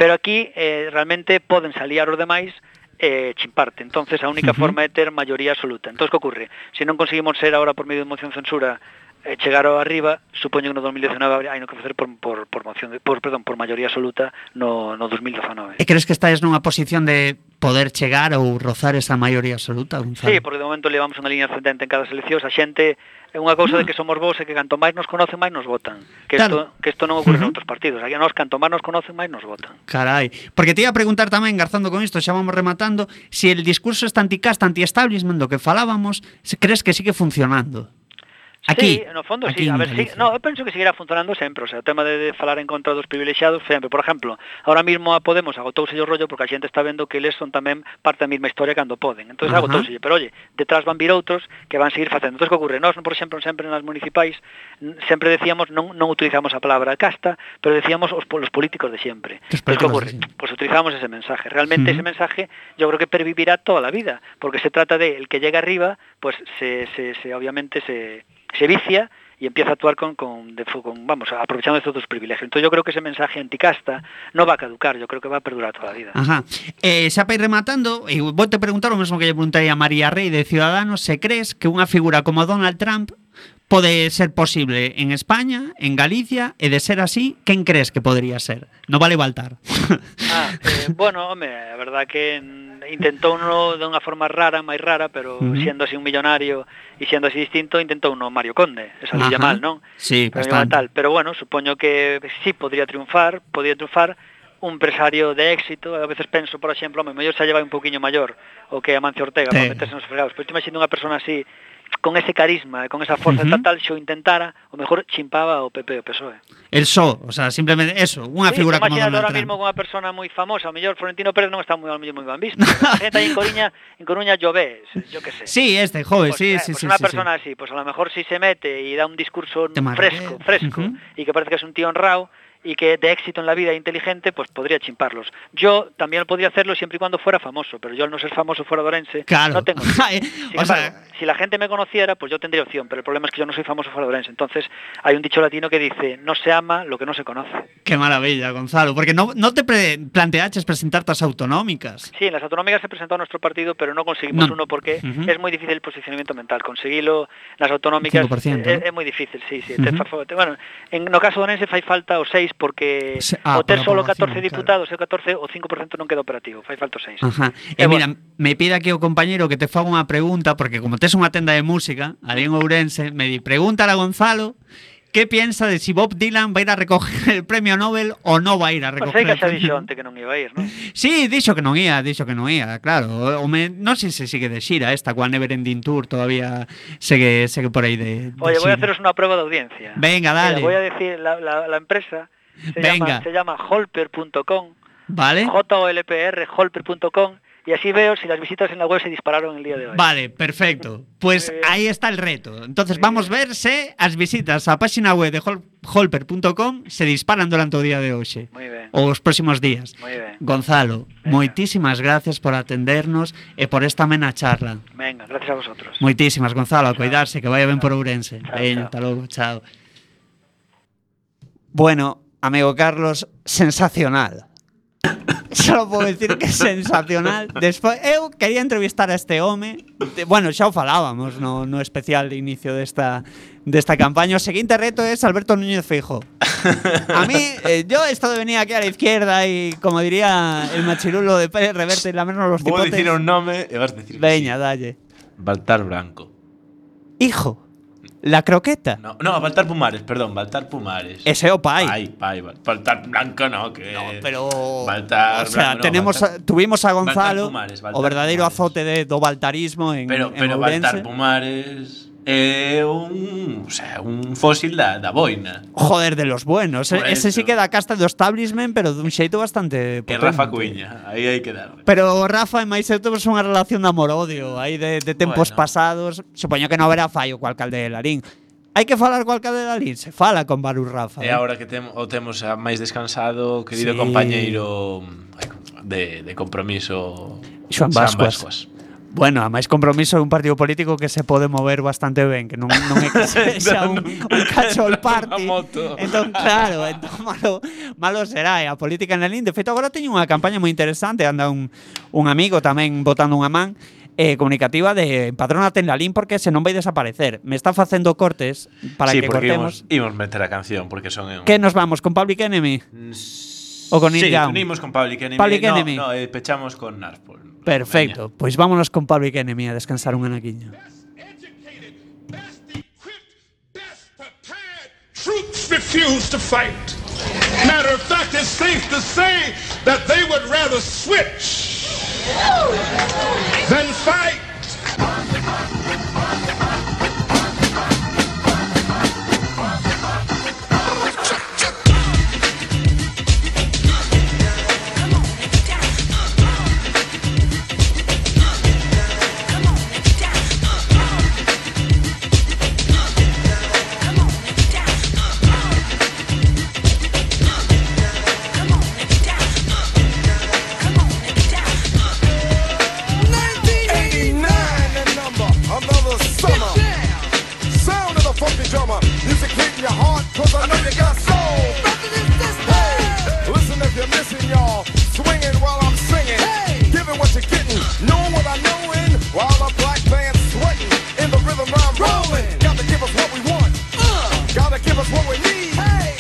Pero aquí eh, realmente poden aliar os demais eh, chimparte. Entonces a única uh-huh. forma é ter maioría absoluta. Entonces, que ocurre? Se non conseguimos ser ahora por medio de moción censura eh, chegar ao arriba, supoño que no dos mil diecinueve hai no que facer por, por, por moción de, por, perdón, por maioría absoluta no, no dos mil diecinueve. E crees que estás nunha posición de poder chegar ou rozar esa maioría absoluta, Gonzalo? Sí, porque de momento levamos unha liña ascendente en cada selección. A xente é unha cousa de que somos vos e que canto máis nos conocen, máis nos votan. Que isto claro. que isto non ocurre uh-huh. en outros partidos. Aquí a nós canto máis nos conocen, máis nos votan. Carai, porque te iba a preguntar tamén, garzando con isto, xa vamos rematando, si el discurso este anticasta, anti-establishment do que falábamos, crees que sigue funcionando? Aquí, sí, no fondo, aquí sí, a en ver, sí, Galicia. no, eu penso que seguirá funcionando sempre, o sea, o tema de, de falar en contra dos privilexiados sempre, por exemplo, ahora mismo a Podemos agotouse o rollo porque a xente está vendo que eles son tamén parte da mesma historia cando poden, entón Ajá. agotouse, pero oye, detrás van vir outros que van seguir facendo. Entón, que ocurre? Nós, por exemplo, sempre nas municipais n- sempre decíamos, non, non utilizamos a palabra casta, pero decíamos os, los políticos de sempre. Los Entón, que políticos ocurre? de siempre. Pues utilizamos ese mensaje. Realmente Ujú. ese mensaje yo creo que pervivirá toda la vida, porque se trata de el que llega arriba, pues se, se, se obviamente se, se vicia y empieza a actuar con, con, de, con vamos, aprovechando estos dos privilegios. Entonces yo creo que ese mensaje anticasta no va a caducar, yo creo que va a perdurar toda la vida. Ajá. Eh, xa para ir rematando, e vou te preguntar o mesmo que lle preguntei a María Rey de Ciudadanos, se crees que unha figura como Donald Trump pode ser posible en España, en Galicia, e de ser así, quen crees que podría ser? No vale Baltar. Ah, eh, bueno, home, a verdad que mm, intentou uno de unha forma rara, máis rara, pero Ujú. siendo así un millonario e siendo así distinto, intentou uno Mario Conde, esa Ajá. lilla mal, non? Sí, Pero bastante. tal, pero bueno, supoño que sí podría triunfar, podría triunfar un empresario de éxito. A veces penso, por exemplo, home, mellor xa lleva un poquinho maior o que Amancio Ortega Sí. para meterse nos fregados, pero te imagino unha persona así con ese carisma e con esa forza Ujú. estatal, xo intentara, o mellor chimpaba o P P o P S O E. El só, o sea, simplemente eso, unha Sí, figura como imagínate Donald ahora Trump. mismo con unha persona moi famosa, o mellor Florentino Pérez non está moi moi moi ben visto. A xente aí en Coruña, en Coruña llové, yo que sé. Sí, este joven, Pues, sí, eh, sí, pues sí. una sí, persona sí. así, pues a lo mejor si se mete y da un discurso Te fresco, marqué. fresco, Ujú. y que parece que es un tío honrado y que de éxito en la vida inteligente, pues podría chimparlos. Yo también podría hacerlo siempre y cuando fuera famoso, pero yo al no ser famoso fuera de Orense, Claro. no tengo. Ay, Sin o embargo, sea- si la gente me conociera, pues yo tendría opción, pero el problema es que yo no soy famoso fuera de Orense. Entonces, hay un dicho latino que dice, no se ama lo que no se conoce. Qué maravilla, Gonzalo, porque no, no te pre planteaches presentarte as autonómicas. Sí, en las autonómicas se presentó a nuestro partido, pero no conseguimos No. uno porque Ujú. es muy difícil el posicionamiento mental. Conseguilo nas autonómicas cinco por ciento, é, ¿no? é moi difícil, sí, sí. Ujú. Te fa, te, bueno, en no caso do Orense fai falta o seis porque Se- ah, o ter por solo la población, catorce diputados e o catorce o cinco por ciento non queda operativo, fai falta o seis. Ajá. E E mira, bueno. me pide aquí o compañeiro que te faga unha pregunta, porque como tes unha tenda de música, ali en Ourense, me di, pregúntale a Gonzalo que piensa de si Bob Dylan va a ir a recoger el premio Nobel o no va a ir a Pois recoger sei que el xa premio dixo onte que non iba a ir, non? Sí, dixo que non ia, dixo que non ia, claro. O me, non sei se sigue de xira esta coa Neverending Tour, todavía segue segue por aí de, de Oye, voy a xira. haceros una prueba de audiencia. Venga, dale. Mira, voy a decir la, la, la empresa se Venga. llama se llama holper punto com. Vale. J O L P R holper punto com y así veo si las visitas en la web se dispararon el día de hoy. Vale, perfecto. Pues Muy bien. aí está el reto. Entonces vamos ver se as visitas á página web de hol holper punto com se disparan durante o día de hoxe. Muy ben. Ou os próximos días. Muy ben. Gonzalo, Venga. moitísimas gracias por atendernos e por esta amena charla. Venga, gracias a vosotros. Moitísimas, Gonzalo, a cuidarse, que vaya ben por Ourense. Chao, Veña, chao. hasta logo, chao. Bueno, amigo Carlos, sensacional. Só podo decir que sensacional. Despois, eu quería entrevistar a este home. De, bueno, xa o falábamos no, no especial de inicio desta, desta campaña. O seguinte reto é Alberto Núñez Feijóo. A mí, eh, yo esto de venir aquí a la izquierda y, como diría el machirulo de Pérez Reverte, y lamernos los Vou cipotes. dicir un nome e vas dicir que Veña, sí. dalle. Baltar Branco. Hijo, la croqueta. No, no, Baltar Pumares, perdón, Baltar Pumares. Ese é o pai. Pai, pai, Bal- Baltar Blanco no, que No, pero Baltar o sea, Blanco, no, tenemos Baltar- a- tuvimos a Gonzalo, Baltar Pumares, Baltar o verdadeiro Pumares. azote de do baltarismo en Pero, en pero Ourense. Baltar Pumares é un, o sea, un fósil da, da boina. Joder, de los buenos. Por Ese eso. sí que da casta do establishment, pero dun xeito bastante E potente. Rafa Cuiña, aí hai que dar. Pero Rafa e máis eu temos unha relación de amor-odio aí de, de tempos Bueno. pasados. Supoño que non haberá fallo co alcalde de Larín. Hai que falar co alcalde de Larín, se fala con Barus Rafa. E eh. agora que tem, o temos a máis descansado, querido Sí. compañeiro ai, de, de compromiso Xoan Xan Bascuas. Bueno, a máis compromiso é un partido político que se pode mover bastante ben, que non, non é que sexa un, un cachol party. Unha moto. Entón, claro, entón malo, malo será. E a política en Lalín, de feito, agora teño unha campaña moi interesante, anda un, un amigo tamén botando unha man, eh, comunicativa de empadrónate en Lalín porque se non vai desaparecer. Me está facendo cortes para sí, que porque cortemos. imos, imos meter a canción, porque son en... Que nos vamos, con Public Enemy? O con Sí, Neil Young? unimos con Public Enemy. Public no, Enemy. No, eh, pechamos con Narspol. Perfecto, pois pues vámonos con Public Enemy a descansar un anaquiño. Educated, best equipped, best prepared troops refuse to fight. Matter of fact, it's safe to say that they would rather switch than fight. drummer. Music hitting your heart, cause I know you got soul. Hey, listen if you're missing, y'all. Swinging while I'm singing. Hey, giving what you're getting. Knowing what I know in. While the black band's sweating. In the rhythm I'm rolling. Gotta give us what we want. Uh, gotta give us what we need. Hey,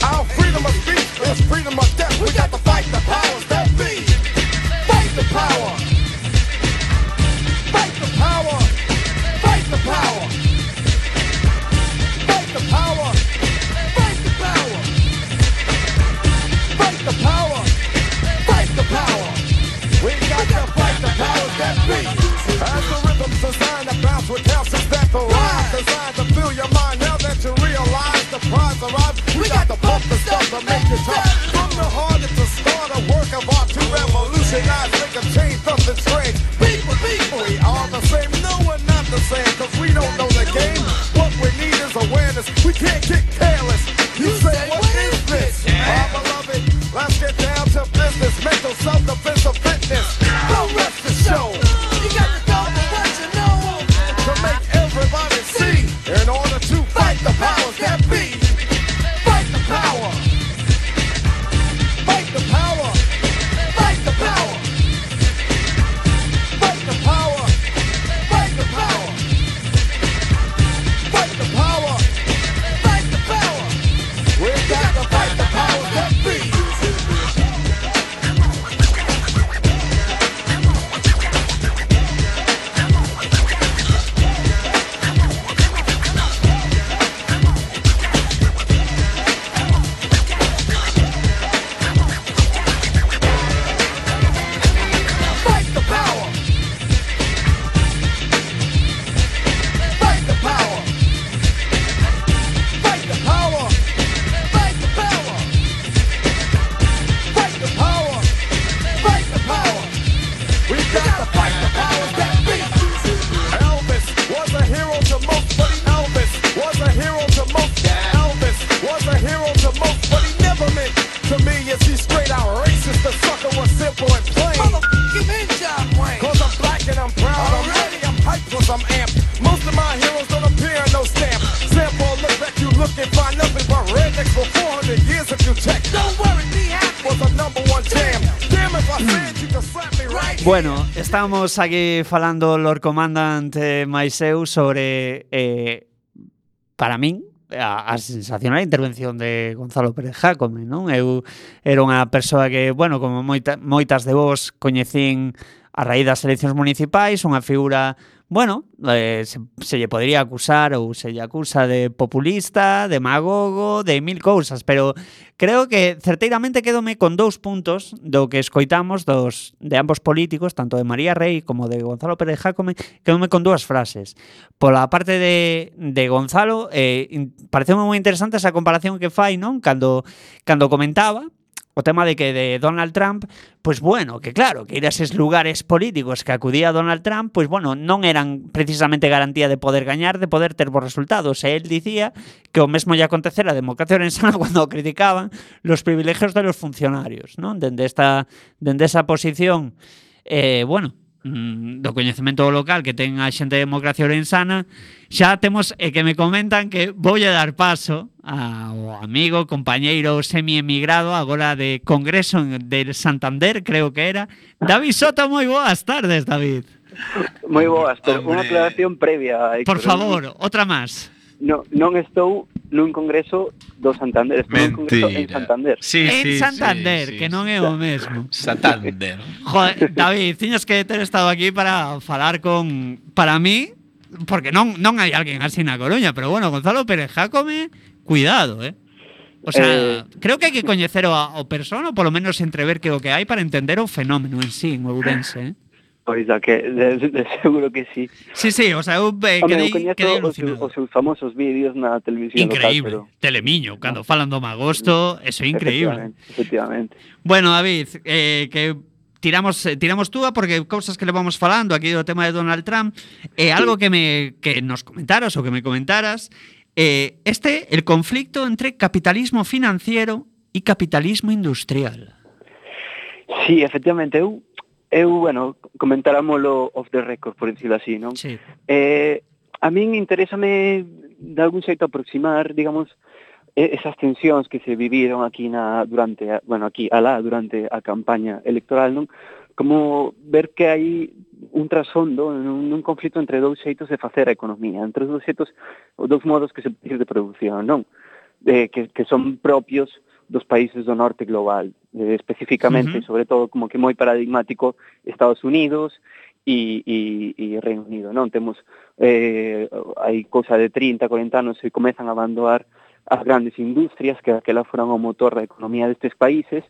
our freedom of speech is freedom of death. We got to fight the powers that be. Fight the power. Fight the power. Fight the power. Fight the power. Fight the power. Fight the power. Fight the power. We got to fight the powers that be. As the rhythm's designed to bounce with calcium that the rise. Designed to fill your mind now that you realize the prize arrives. We got to pump the stuff to make it tough. From the heart it's a start, a work of art to revolutionize, make a change, something strange. People, people, we are the same. No, we're not the same, cause we don't know the game. What we need is awareness. We can't get careless. You say, what is this? Our beloved, let's get down to business. Mental self-defense of fitness. Don't rest the show. You got to go for what you know. To make everybody see. In order to fight the powers that be. Fight the power. Fight the power. Fight the power. Fight the power. Fight the power. Fight the power. Fight the power. We got to fight the powers that be. Fight the power. Fight the power. Fight the power. Fight the power. Fight the power. Fight the power. We got to fight the powers that be. Elvis was a hero to most, but he Elvis was a hero to most. Elvis was a hero to most, but he never meant to me. Is he straight out racist? The sucker was simple and plain. Motherfucking in John Wayne. Cause I'm black and I'm proud. I'm ready, I'm hyped cause I'm amped. Most of my heroes don't appear in no stamp. Sample look back, you look and find nothing but rednecks for four hundred years if you check. Don't worry, be happy. Was a number one jam. Damn if I said you could slap me right. Bueno, estamos aquí falando Lord Commandant eh, Maiseu sobre eh, para min a, a sensacional intervención de Gonzalo Pérez Jácome, non? Eu era unha persoa que, bueno, como moita, moitas de vos coñecín a raíz das eleccións municipais, unha figura, bueno, eh, se, se lle podría acusar ou se lle acusa de populista, demagogo, de mil cousas, pero creo que certeiramente quedome con dous puntos do que escoitamos dos de ambos políticos, tanto de María Rey como de Gonzalo Pérez Jácome, quedome con dúas frases. Pola parte de, de Gonzalo, eh, pareceu moi interesante esa comparación que fai, non? Cando, cando comentaba o tema de que de Donald Trump, pues bueno, que claro, que ir a eses lugares políticos que acudía Donald Trump, pues bueno, non eran precisamente garantía de poder gañar, de poder ter bons resultados. E él dicía que o mesmo lle acontecera a democracia orensana cando criticaban los privilegios de los funcionarios, non? Dende esta, dende esa posición, eh, bueno, do coñecemento local que ten a xente de democracia orensana, xa temos e que me comentan que voulle dar paso ao amigo, compañeiro semi-emigrado agora de Congreso de Santander, creo que era, David Soto. Moi boas tardes, David. Moi boas, pero unha aclaración previa, Héctor. Por favor, outra máis. No, non estou nun congreso do Santander, estou nun congreso en Santander. Sí, en sí, Santander, sí, que sí, non é o mesmo. Santander. Joder, David, tiñas que ter estado aquí para falar con... Para mí, porque non non hai alguén así na Coruña, pero bueno, Gonzalo Pérez Jácome, cuidado, eh? O sea, eh, creo que hai que coñecer o, o persona, ou polo menos entrever que o que hai para entender o fenómeno en sí, en Ourense, eh? Pois a que de, de seguro que sí. Sí, sí, o sea, eu eh, quedei, quedei alucinado. Os seus famosos vídeos na televisión increíble, local, pero... Telemiño, cando falan do Magosto, eso é increíble. Efectivamente, efectivamente. Bueno, David, eh, que tiramos tiramos túa porque cousas que le vamos falando aquí do tema de Donald Trump, eh, algo que me que nos comentaras ou que me comentaras, eh, este el conflicto entre capitalismo financiero e capitalismo industrial. Sí, efectivamente, eu Eu, bueno, comentáramoslo off the record, por decirlo así, non? Sí. Eh, a min interésame de algún xeito aproximar, digamos, esas tensións que se viviron aquí na durante, a, bueno, aquí alá durante a campaña electoral, non? Como ver que hai un trasfondo nun, nun conflito entre dous xeitos de facer a economía, entre dous xeitos, dous modos que se pide de produción, non? Eh, que, que son propios dos países do norte global, eh, especificamente, uh-huh. sobre todo, como que moi paradigmático, Estados Unidos e, e, e Reino Unido, non? Temos, eh, hai cousa de trinta, cuarenta anos, se comezan a abandonar as grandes industrias, que aquela foran o motor da economía destes países,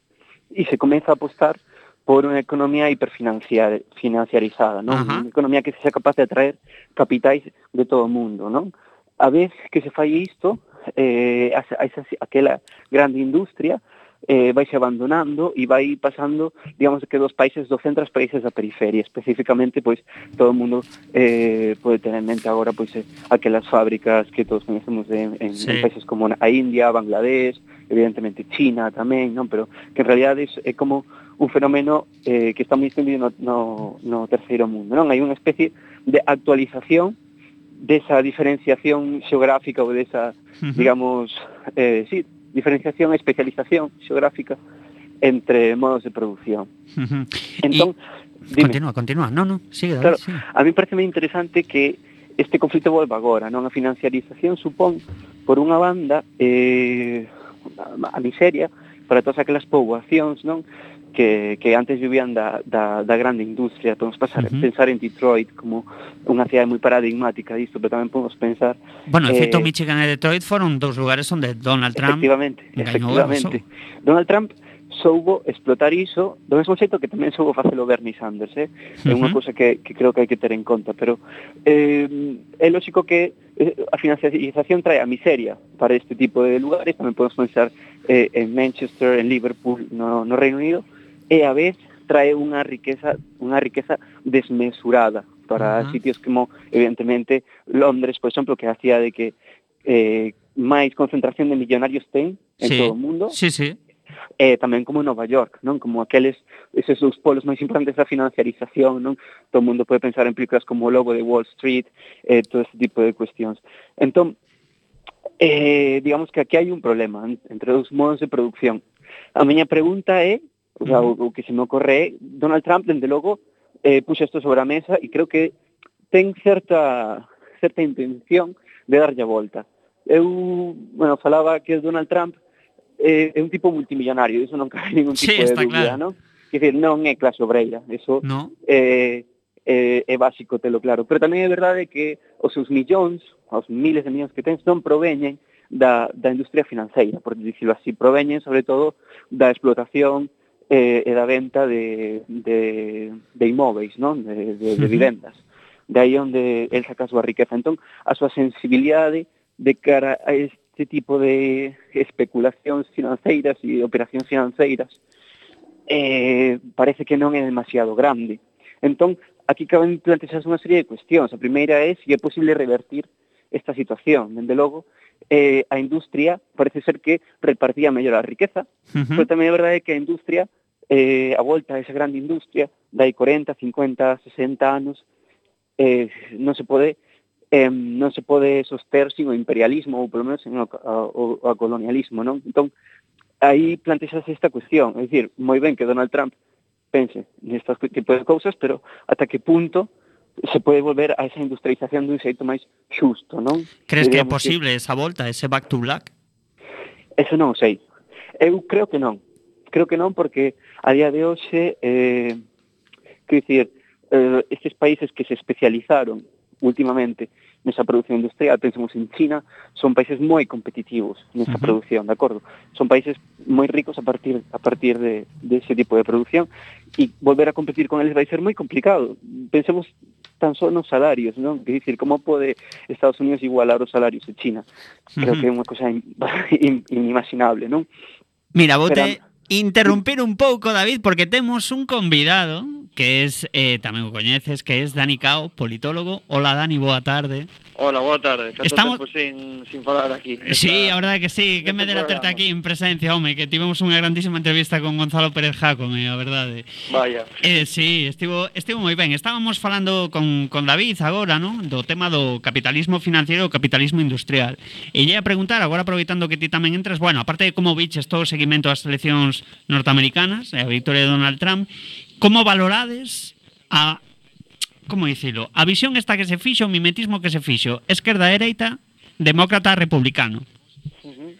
e se comeza a apostar por unha economía hiperfinanciarizada, non? Uh-huh. Unha economía que sexa capaz de atraer capitais de todo o mundo, non? A vez que se fai isto, eh, a, a esa, aquela grande industria eh, vai se abandonando e vai pasando, digamos, que dos países do centro aos países da periferia. Especificamente, pois, todo o mundo eh, pode ter en mente agora, pois, eh, aquelas fábricas que todos conhecemos en, en, sí. en países como a India, Bangladesh, evidentemente China tamén, non? Pero que en realidad é, é como un fenómeno eh, que está moi extendido no, no, no terceiro mundo, non? Hai unha especie de actualización desa diferenciación xeográfica ou desa, uh-huh. digamos, eh, sí, diferenciación e especialización xeográfica entre modos de producción. Uh-huh. Entón, y... continúa, continúa. No, no, sigue, claro, sigue. A mí parece moi interesante que este conflito volva agora, non? A financiarización supón, por unha banda, eh, a miseria para todas aquelas poboacións, non? Que, que antes vivían da, da, da grande industria. Podemos pasar, uh-huh. pensar en Detroit como unha cidade moi paradigmática disto, pero tamén podemos pensar... Bueno, en eh, feito, Michigan e Detroit foron dous lugares onde Donald Trump... Efectivamente, efectivamente. Donald Trump soubo explotar iso, do mesmo xeito que tamén soubo facelo Bernie Sanders, eh? É unha uh-huh. cousa que, que creo que hai que ter en conta, pero eh, é lógico que a financiarización trae a miseria para este tipo de lugares. Tamén podemos pensar eh, en Manchester, en Liverpool, no, no Reino Unido, e a vez trae unha riqueza unha riqueza desmesurada para uh-huh. sitios como, evidentemente, Londres, por exemplo, que é a cidade que eh, máis concentración de millonarios ten en sí. todo o mundo. Sí, sí. Eh, tamén como Nova York, non? Como aqueles, esos dos polos máis importantes da financiarización, non? Todo o mundo pode pensar en películas como O Lobo de Wall Street, eh, todo ese tipo de cuestións. Entón, eh, digamos que aquí hai un problema entre os modos de producción. A miña pregunta é, o, sea, o, o que se me ocorre é, Donald Trump, dende logo, eh, puxa isto sobre a mesa e creo que ten certa certa intención de darlle a volta. Eu, bueno, falaba que Donald Trump é un tipo multimillonario, iso non cabe ningún tipo sí, de dúbida, claro. Non? Quer dizer, non é clase obreira, iso no. é, é, é básico telo claro, pero tamén é verdade que os seus millóns, os miles de millóns que ten, non proveñen da, da industria financeira, por dicirlo así, proveñen sobre todo da explotación eh, e da venta de, de, de imóveis, non? De, de, de vivendas. De aí onde el saca a súa riqueza. Entón, a súa sensibilidade de cara a este tipo de especulacións financeiras e operacións financeiras eh, parece que non é demasiado grande. Entón, aquí caben plantearse unha serie de cuestións. A primeira é se é posible revertir esta situación. Dende logo, eh, a industria parece ser que repartía mellor a riqueza, uh-huh. pero tamén é verdade que a industria, eh, a volta a esa grande industria, dai corenta, cincuenta, sesenta anos, eh, non se pode eh, non se pode soster sin o imperialismo ou polo menos sin o, o, o colonialismo, non? Entón, aí plantexase esta cuestión, é dicir, moi ben que Donald Trump pense nestas tipo de cousas, pero ata que punto se pode volver a esa industrialización dun xeito máis xusto, non? Crees que é posible que... esa volta, ese back to black? Eso non o sei. Eu creo que non. Creo que non porque a día de hoxe, eh, quero dicir, eh, estes países que se especializaron últimamente nesa produción industrial, pensemos en China, son países moi competitivos nesa uh-huh. producción, de acordo? Son países moi ricos a partir a partir de, de ese tipo de producción e volver a competir con eles vai ser moi complicado. Pensemos tan só nos salarios, non? Quer dicir, como pode Estados Unidos igualar os salarios de China? Creo uh-huh. que é unha cosa inimaginable, non? Mira, vou te interrumpir un pouco, David, porque temos un convidado que es, eh, tamén o coñeces, que es Dani Cao, politólogo. Hola Dani, boa tarde. Hola, boa tarde. Canto Estamos... tempo sin, sin falar aquí. Sí, a verdade que sí, que me dera terte aquí en presencia, home, que tivemos unha grandísima entrevista con Gonzalo Pérez Jácome, a verdade. Vaya. Eh, sí, estivo, estivo moi ben. Estábamos falando con, con David agora, non? Do tema do capitalismo financiero e o capitalismo industrial. E lle a preguntar, agora aproveitando que ti tamén entras, bueno, aparte de como viches todo o seguimento ás eleccións norteamericanas e a victoria de Donald Trump, como valorades a... como dicilo, a visión esta que se fixo, o mimetismo que se fixo, esquerda-dereita, demócrata-republicano. Uh-huh.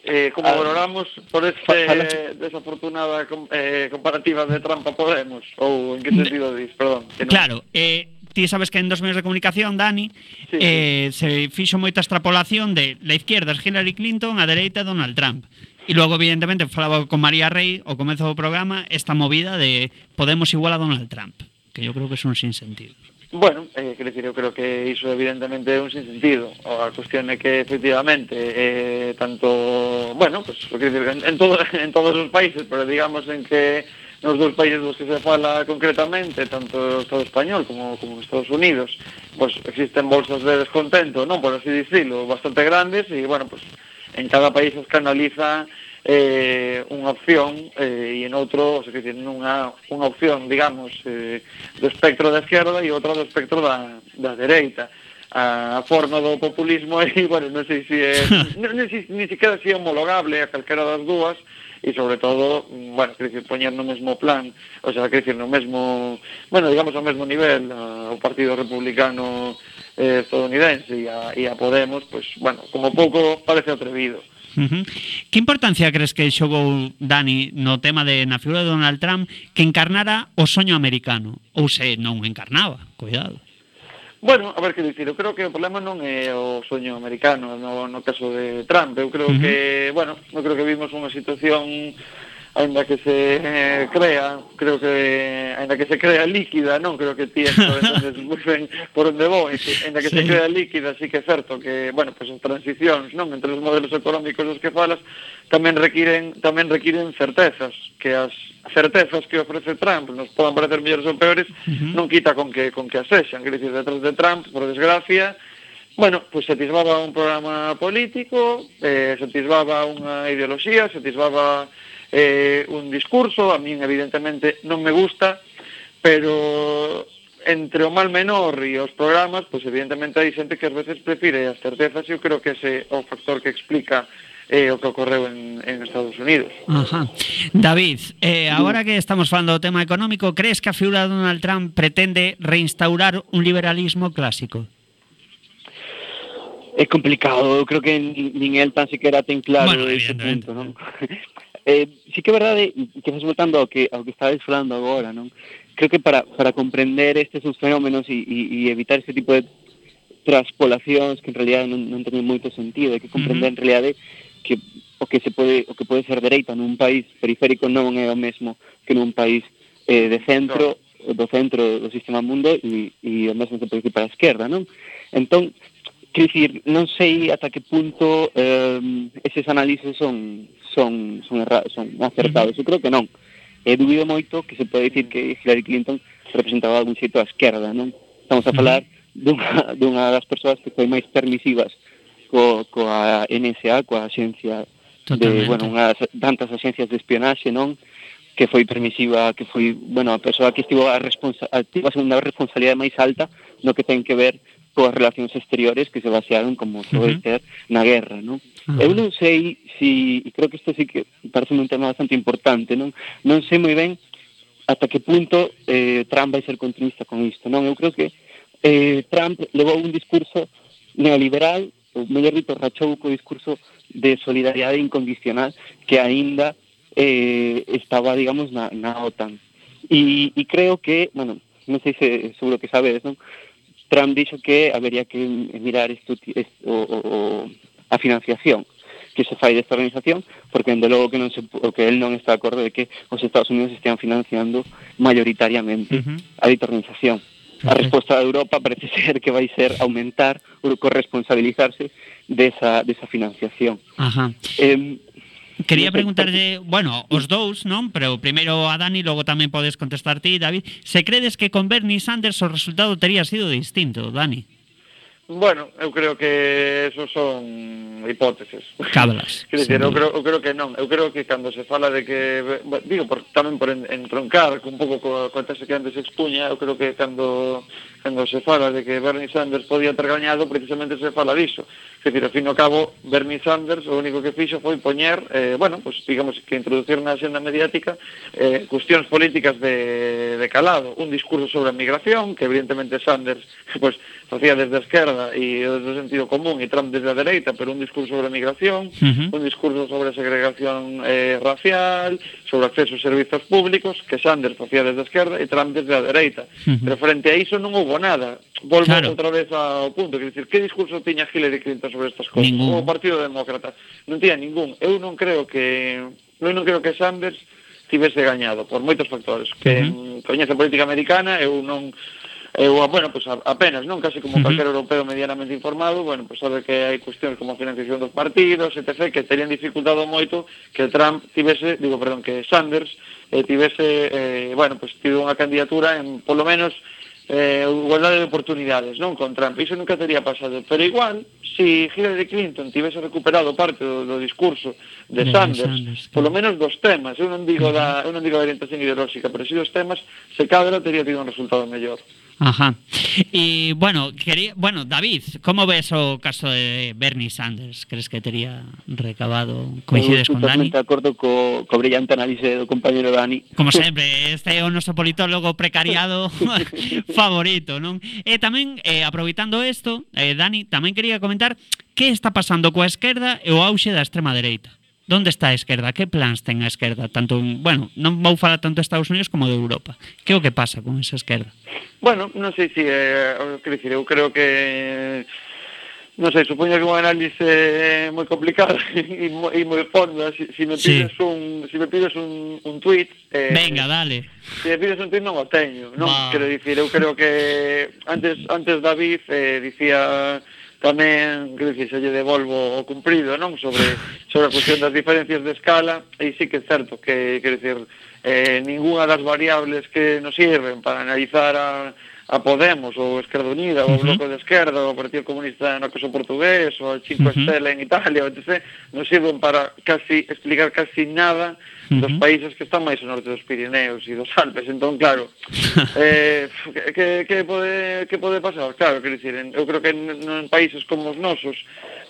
Eh, como ah, valoramos por este desafortunada eh, comparativa de Trump a Podemos? Ou en que sentido dis? Perdón. Que non... Claro, eh, ti sabes que en dos medios de comunicación, Dani, sí, eh, sí. se fixo moita extrapolación de la izquierda es Hillary Clinton, a dereita Donald Trump. E logo, evidentemente, falaba con María Rey ao comezo do programa esta movida de Podemos igual a Donald Trump, que yo creo que son sin sentido. Bueno, eh, quero decir, eu creo que iso evidentemente é un sinsentido. A cuestión é que efectivamente eh, tanto, bueno, pues, decir, en, en, todo, en todos os países, pero digamos en que nos dos países dos que se fala concretamente, tanto o Estado español como, como Estados Unidos, pues existen bolsas de descontento, non por así dicirlo, bastante grandes, e bueno, pues en cada país se canaliza eh, unha opción eh, e en outro, o sea, que decir, unha, unha opción, digamos, eh, do espectro da esquerda e outra do espectro da, da dereita. A forma do populismo é, bueno, non sei se é, non, non sei, ni siquiera se é homologable a calquera das dúas, e sobre todo, bueno, quer decir, poñer no mesmo plan, o sea, quer decir, no mesmo, bueno, digamos ao mesmo nivel, uh, o Partido Republicano eh, estadounidense e a, e a Podemos, pues, bueno, como pouco parece atrevido. Uh-huh. Que importancia crees que xogou Dani no tema de na figura de Donald Trump que encarnara o soño americano? Ou se non encarnaba, cuidado. Bueno, a ver, que dicir, eu creo que o problema non é o soño americano no, no caso de Trump. Eu creo uh-huh. que, bueno, eu creo que vimos unha situación ainda que se eh, crea, creo que ainda que se crea líquida, non creo que ti entendes moi ben por onde vou, ainda que sí. se crea líquida, sí que é certo que, bueno, pues as transicións, non, entre os modelos económicos dos que falas, tamén requiren tamén requiren certezas, que as certezas que ofrece Trump nos podan parecer mellores ou peores, uh-huh. non quita con que con que as sexan, quer dicir, detrás de Trump, por desgracia, bueno, pues se atisbaba un programa político, eh, se atisbaba unha ideoloxía, se atisbaba eh, un discurso, a min evidentemente non me gusta, pero entre o mal menor e os programas, pues evidentemente hai xente que ás veces prefire as certezas, e eu creo que ese é o factor que explica eh, o que ocorreu en, en Estados Unidos. Ajá. David, eh, agora que estamos falando do tema económico, crees que a figura de Donald Trump pretende reinstaurar un liberalismo clásico? É complicado, eu creo que nin el tan siquiera ten claro bueno, ese punto, non? Eh, sí que é verdade, que estás voltando ao que, ao que estabas falando agora, non? Creo que para, para comprender estes fenómenos e, e, e evitar este tipo de traspolacións que en realidad non, non teñen moito sentido, hai que comprender uh-huh. en realidade que o que se pode o que pode ser dereita nun país periférico non é o mesmo que nun país eh, de centro, no. do centro do sistema mundo e, e o mesmo se pode decir para a esquerda, non? Entón, quer dicir, non sei ata que punto eh, eses análises son son son, erra, son acertados. Eu creo que non. E dubido moito que se pode dicir que Hillary Clinton representaba algún xeito a esquerda, non? Estamos a falar dunha, dunha das persoas que foi máis permisivas co, coa N S A, coa axencia de, bueno, unhas tantas axencias de espionaxe, non? Que foi permisiva, que foi, bueno, a persoa que estivo a, responsa- a, a segunda responsabilidade máis alta no que ten que ver coas relacións exteriores que se basearon, como pode uh-huh. ser, na guerra, non? Uh-huh. Eu non sei si, e creo que isto sí que parece un tema bastante importante, non? Non sei moi ben ata que punto eh, Trump vai ser continuista con isto, non? Eu creo que eh, Trump levou un discurso neoliberal, ou mellor dito, rachou co discurso de solidariedade incondicional que aínda eh, estaba, digamos, na, na OTAN. E, e creo que, bueno, non sei se seguro que sabedes, non? Trump dixo que habería que mirar esto, esto, o, o, a financiación que se fai desta organización, porque dende logo que non se, o que él non está de acordo de que os Estados Unidos estean financiando mayoritariamente uh-huh. a dita organización. A resposta de Europa parece ser que vai ser aumentar ou corresponsabilizarse desa, desa financiación. Ajá. Eh, Quería preguntarlle, bueno, os dous, non? Pero primeiro a Dani, logo tamén podes contestar ti, David. Se credes que con Bernie Sanders o resultado tería sido distinto, Dani? Bueno, eu creo que esos son hipóteses. Cábalas. Quer dizer, eu creo, eu creo que non. Eu creo que cando se fala de que... Digo, por, tamén por entroncar un pouco co, co tese que antes se expuña, eu creo que cando, cando se fala de que Bernie Sanders podía ter gañado, precisamente se fala diso. Quer dizer, ao fin e ao cabo, Bernie Sanders o único que fixo foi poñer, eh, bueno, pues digamos que introducir na axenda mediática eh, cuestións políticas de, de calado. Un discurso sobre a migración, que evidentemente Sanders pues, facía desde a esquerda e desde o sentido común e Trump desde a dereita, pero un discurso sobre a migración, uh-huh. un discurso sobre a segregación eh, racial, sobre acceso aos servizos públicos, que Sanders facía desde a esquerda e Trump desde a dereita. Uh-huh. Pero frente a iso non houbo nada. Volvo claro. outra vez ao punto, quer dizer, que discurso tiña Hillary Clinton sobre estas cousas? Ningún. O Partido Demócrata non tiña ningún. Eu non creo que eu non creo que Sanders tivese gañado por moitos factores. Que uh-huh. coñece a política americana, eu non eu, bueno, pues apenas, non casi como uh-huh. calquer europeo medianamente informado, bueno, pues sabe que hai cuestións como a financiación dos partidos, etcétera, que terían dificultado moito que Trump tivese, digo, perdón, que Sanders eh, tivese, eh, bueno, pues tido unha candidatura en, polo menos, eh, igualdade de oportunidades, non con Trump. Iso nunca teria pasado, pero igual si Hillary Clinton tivese recuperado parte do, do discurso de, de Sanders, Sanders polo menos dos temas, eu non digo da, eu non digo da orientación ideolóxica, pero si dos temas, se cadra teria tido un resultado mellor. Ajá. Y bueno, quería, bueno, David, ¿cómo ves o caso de Bernie Sanders? ¿Crees que tería recabado? Coincides con Dani? Totalmente de acordo co, co brillante análise do compañero Dani. Como sempre, este é o noso politólogo precariado favorito, non? E tamén, eh, aproveitando isto, eh, Dani, tamén quería comentar que está pasando coa esquerda e o auxe da extrema dereita. Donde está a esquerda? Que plans ten a esquerda? Tanto, bueno, non vou falar tanto de Estados Unidos como de Europa. Que é o que pasa con esa esquerda? Bueno, non sei se, eh, quero dicir, eu creo que, non sei, supoño que un análise moi complicado e moi, moi fonda. Si, si me pides sí. un, si me pides un, un tweet, eh, venga, dale. Si me pides un tweet non o teño, non? Va. Quero dicir, eu creo que antes antes David eh, dicía tamén, quero dicir, se lle devolvo o cumprido, non? Sobre, sobre a cuestión das diferencias de escala, e sí que é certo que, quero dicir, eh, ninguna das variables que nos sirven para analizar a, a Podemos, ou Esquerda Unida, ou o Bloco de Esquerda, ou o Partido Comunista no caso portugués, ou a Cinco Stelle en Italia, etcétera, nos sirven para casi explicar casi nada dos países que están máis ao norte dos Pirineos e dos Alpes. Entón, claro, eh, que, que, pode, que pode pasar? Claro, quero dicir, eu creo que en, en países como os nosos,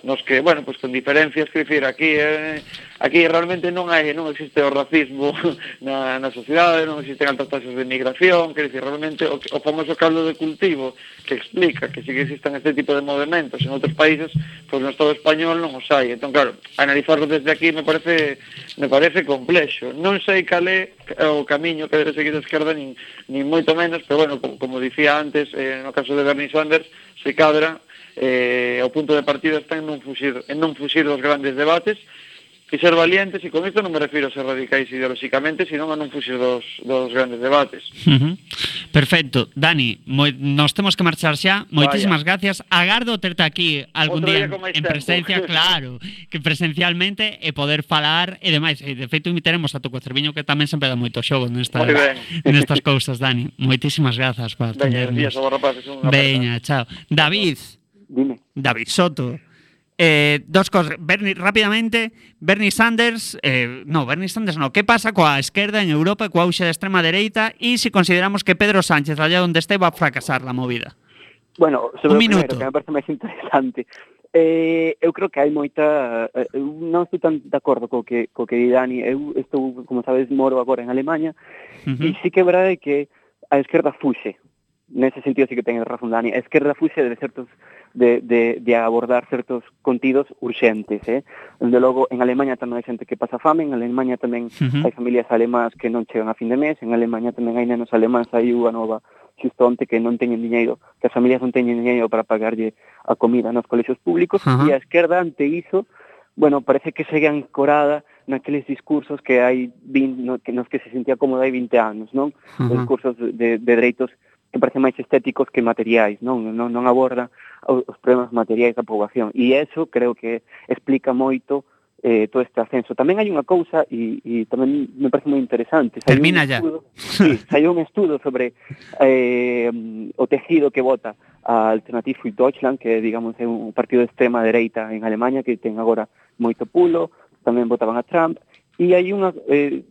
nos que, bueno, pues con diferencias, quero dicir, aquí eh, aquí realmente non hai non existe o racismo na, na sociedade, non existen altas tasas de migración, quero dicir, realmente o, o famoso caldo de cultivo que explica que sí que existan este tipo de movimentos en outros países, pois pues no Estado español non os hai. Entón, claro, analizarlo desde aquí me parece me parece complexo. Non sei cal é o camiño que debe seguir a esquerda, nin, nin moito menos, pero bueno, como, como dicía antes, eh, no caso de Bernie Sanders, se cadra, eh, o punto de partida está en non fuxir, en non fuxir dos grandes debates, e ser valientes, e con isto non me refiro a ser radicais ideolóxicamente, sino a non fuxir dos, dos grandes debates. Uh-huh. Perfecto. Dani, moi, nos temos que marchar xa. Moitísimas gracias. Agardo terte aquí algún día, día en presencia, claro, que presencialmente, e poder falar e demais. E de feito invitaremos a tu Cocerviño, que tamén sempre dá moito xogo nestas, nestas cousas, Dani. Moitísimas grazas por atendernos. Veña, días, rapaces, Veña, chao. David. Dime. David Soto. Eh, dos cosas, Bernie, rápidamente, Bernie Sanders, eh, no, Bernie Sanders no, ¿qué pasa coa esquerda en Europa e coa auxe da extrema dereita e se si consideramos que Pedro Sánchez, allá donde este, va a fracasar la movida? Bueno, sobre un o minuto. Primero, que me parece máis interesante, eh, eu creo que hai moita, eh, eu non estou tan de acordo co que, co que di Dani, eu estou, como sabes, moro agora en Alemanha, uh-huh. e sí que é verdade que a esquerda fuxe. Nese sentido sí que ten razón Dani. A esquerda fuxe de certos de, de, de abordar certos contidos urxentes, eh? Desde logo, en Alemanha tamén hai xente que pasa fame, en Alemanha tamén uh-huh. hai familias alemás que non chegan a fin de mes, en Alemanha tamén hai nenos alemáns, hai unha nova xusto onte que non teñen diñeiro, que as familias non teñen diñeiro para pagarlle a comida nos colexios públicos, uh-huh. e a esquerda ante iso, bueno, parece que segue ancorada naqueles discursos que hai vinte, no, que nos que se sentía cómoda hai vinte anos, non? Uh-huh. Os discursos de, de dereitos que parecen máis estéticos que materiais, non non, non aborda os problemas materiais da poboación. E eso creo que explica moito eh, todo este ascenso. Tamén hai unha cousa, e, e tamén me parece moi interesante. Saiu Termina un ya. estudo, sí, saiu un estudo sobre eh, o tejido que vota a Alternative für Deutschland, que, digamos, é un partido de extrema dereita en Alemanha, que ten agora moito pulo, tamén votaban a Trump, e hai unha, eh,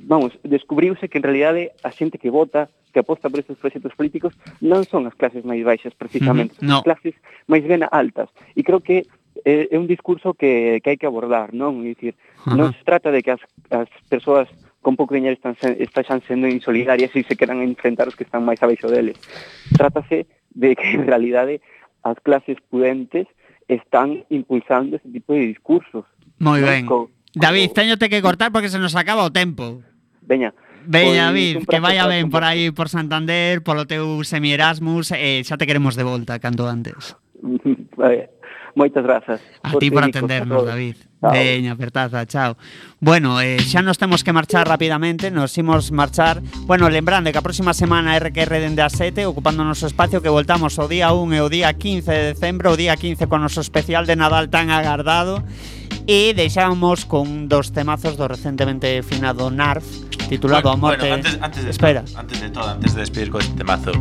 vamos, descubriuse que en realidade a xente que vota, que aposta por estes proxectos políticos, non son as clases máis baixas, precisamente, Mm, no. son as clases máis ben altas. E creo que eh, é un discurso que, que hai que abordar, non? É dicir, Ajá. non se trata de que as, as persoas con pouco dinheiro están, se- están sendo insolidarias e se queran enfrentar os que están máis abaixo deles. Trátase de que, en realidade, as clases pudentes están impulsando ese tipo de discursos. Moi non? ben. Co- David, co- teñote que cortar porque se nos acaba o tempo. Veña. Veña, Pois, David, un que prazer vaya falar ben con por vos. aí por Santander, polo teu semi-Erasmus, e xa te queremos de volta canto antes. Vale. Moitas grazas. A ti por Feliz, atendernos, a todos. David. Chao. Veña, apertaza, chao. Bueno, eh, xa nos temos que marchar rapidamente, nos imos marchar. Bueno, lembrando que a próxima semana R Q R dende a sete, ocupando o noso espacio, que voltamos o día un e o día quince de decembro, o día quince con o noso especial de Nadal tan agardado. E deixamos con dos temazos do recentemente finado Narf, titulado Bueno, A Morte. bueno, antes, antes de Espera. todo, antes de todo, antes de despedir con este temazo,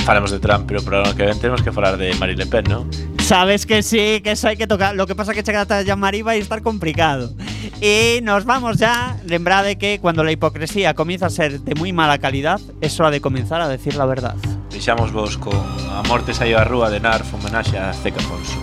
falamos de Trump, pero para lo que ven tenemos que falar de Marine Le Pen, ¿no? Sabes que sí, que eso hai que tocar. Lo que pasa que chegar ata Jean-Marie vai estar complicado. Y nos vamos ya. Lembrade que cuando la hipocresía comienza a ser de muy mala calidad, es hora de comenzar a decir la verdad. Deixamos vos con A Morte saiu á rúa de Narf, homenaxe a Azteca Afonso.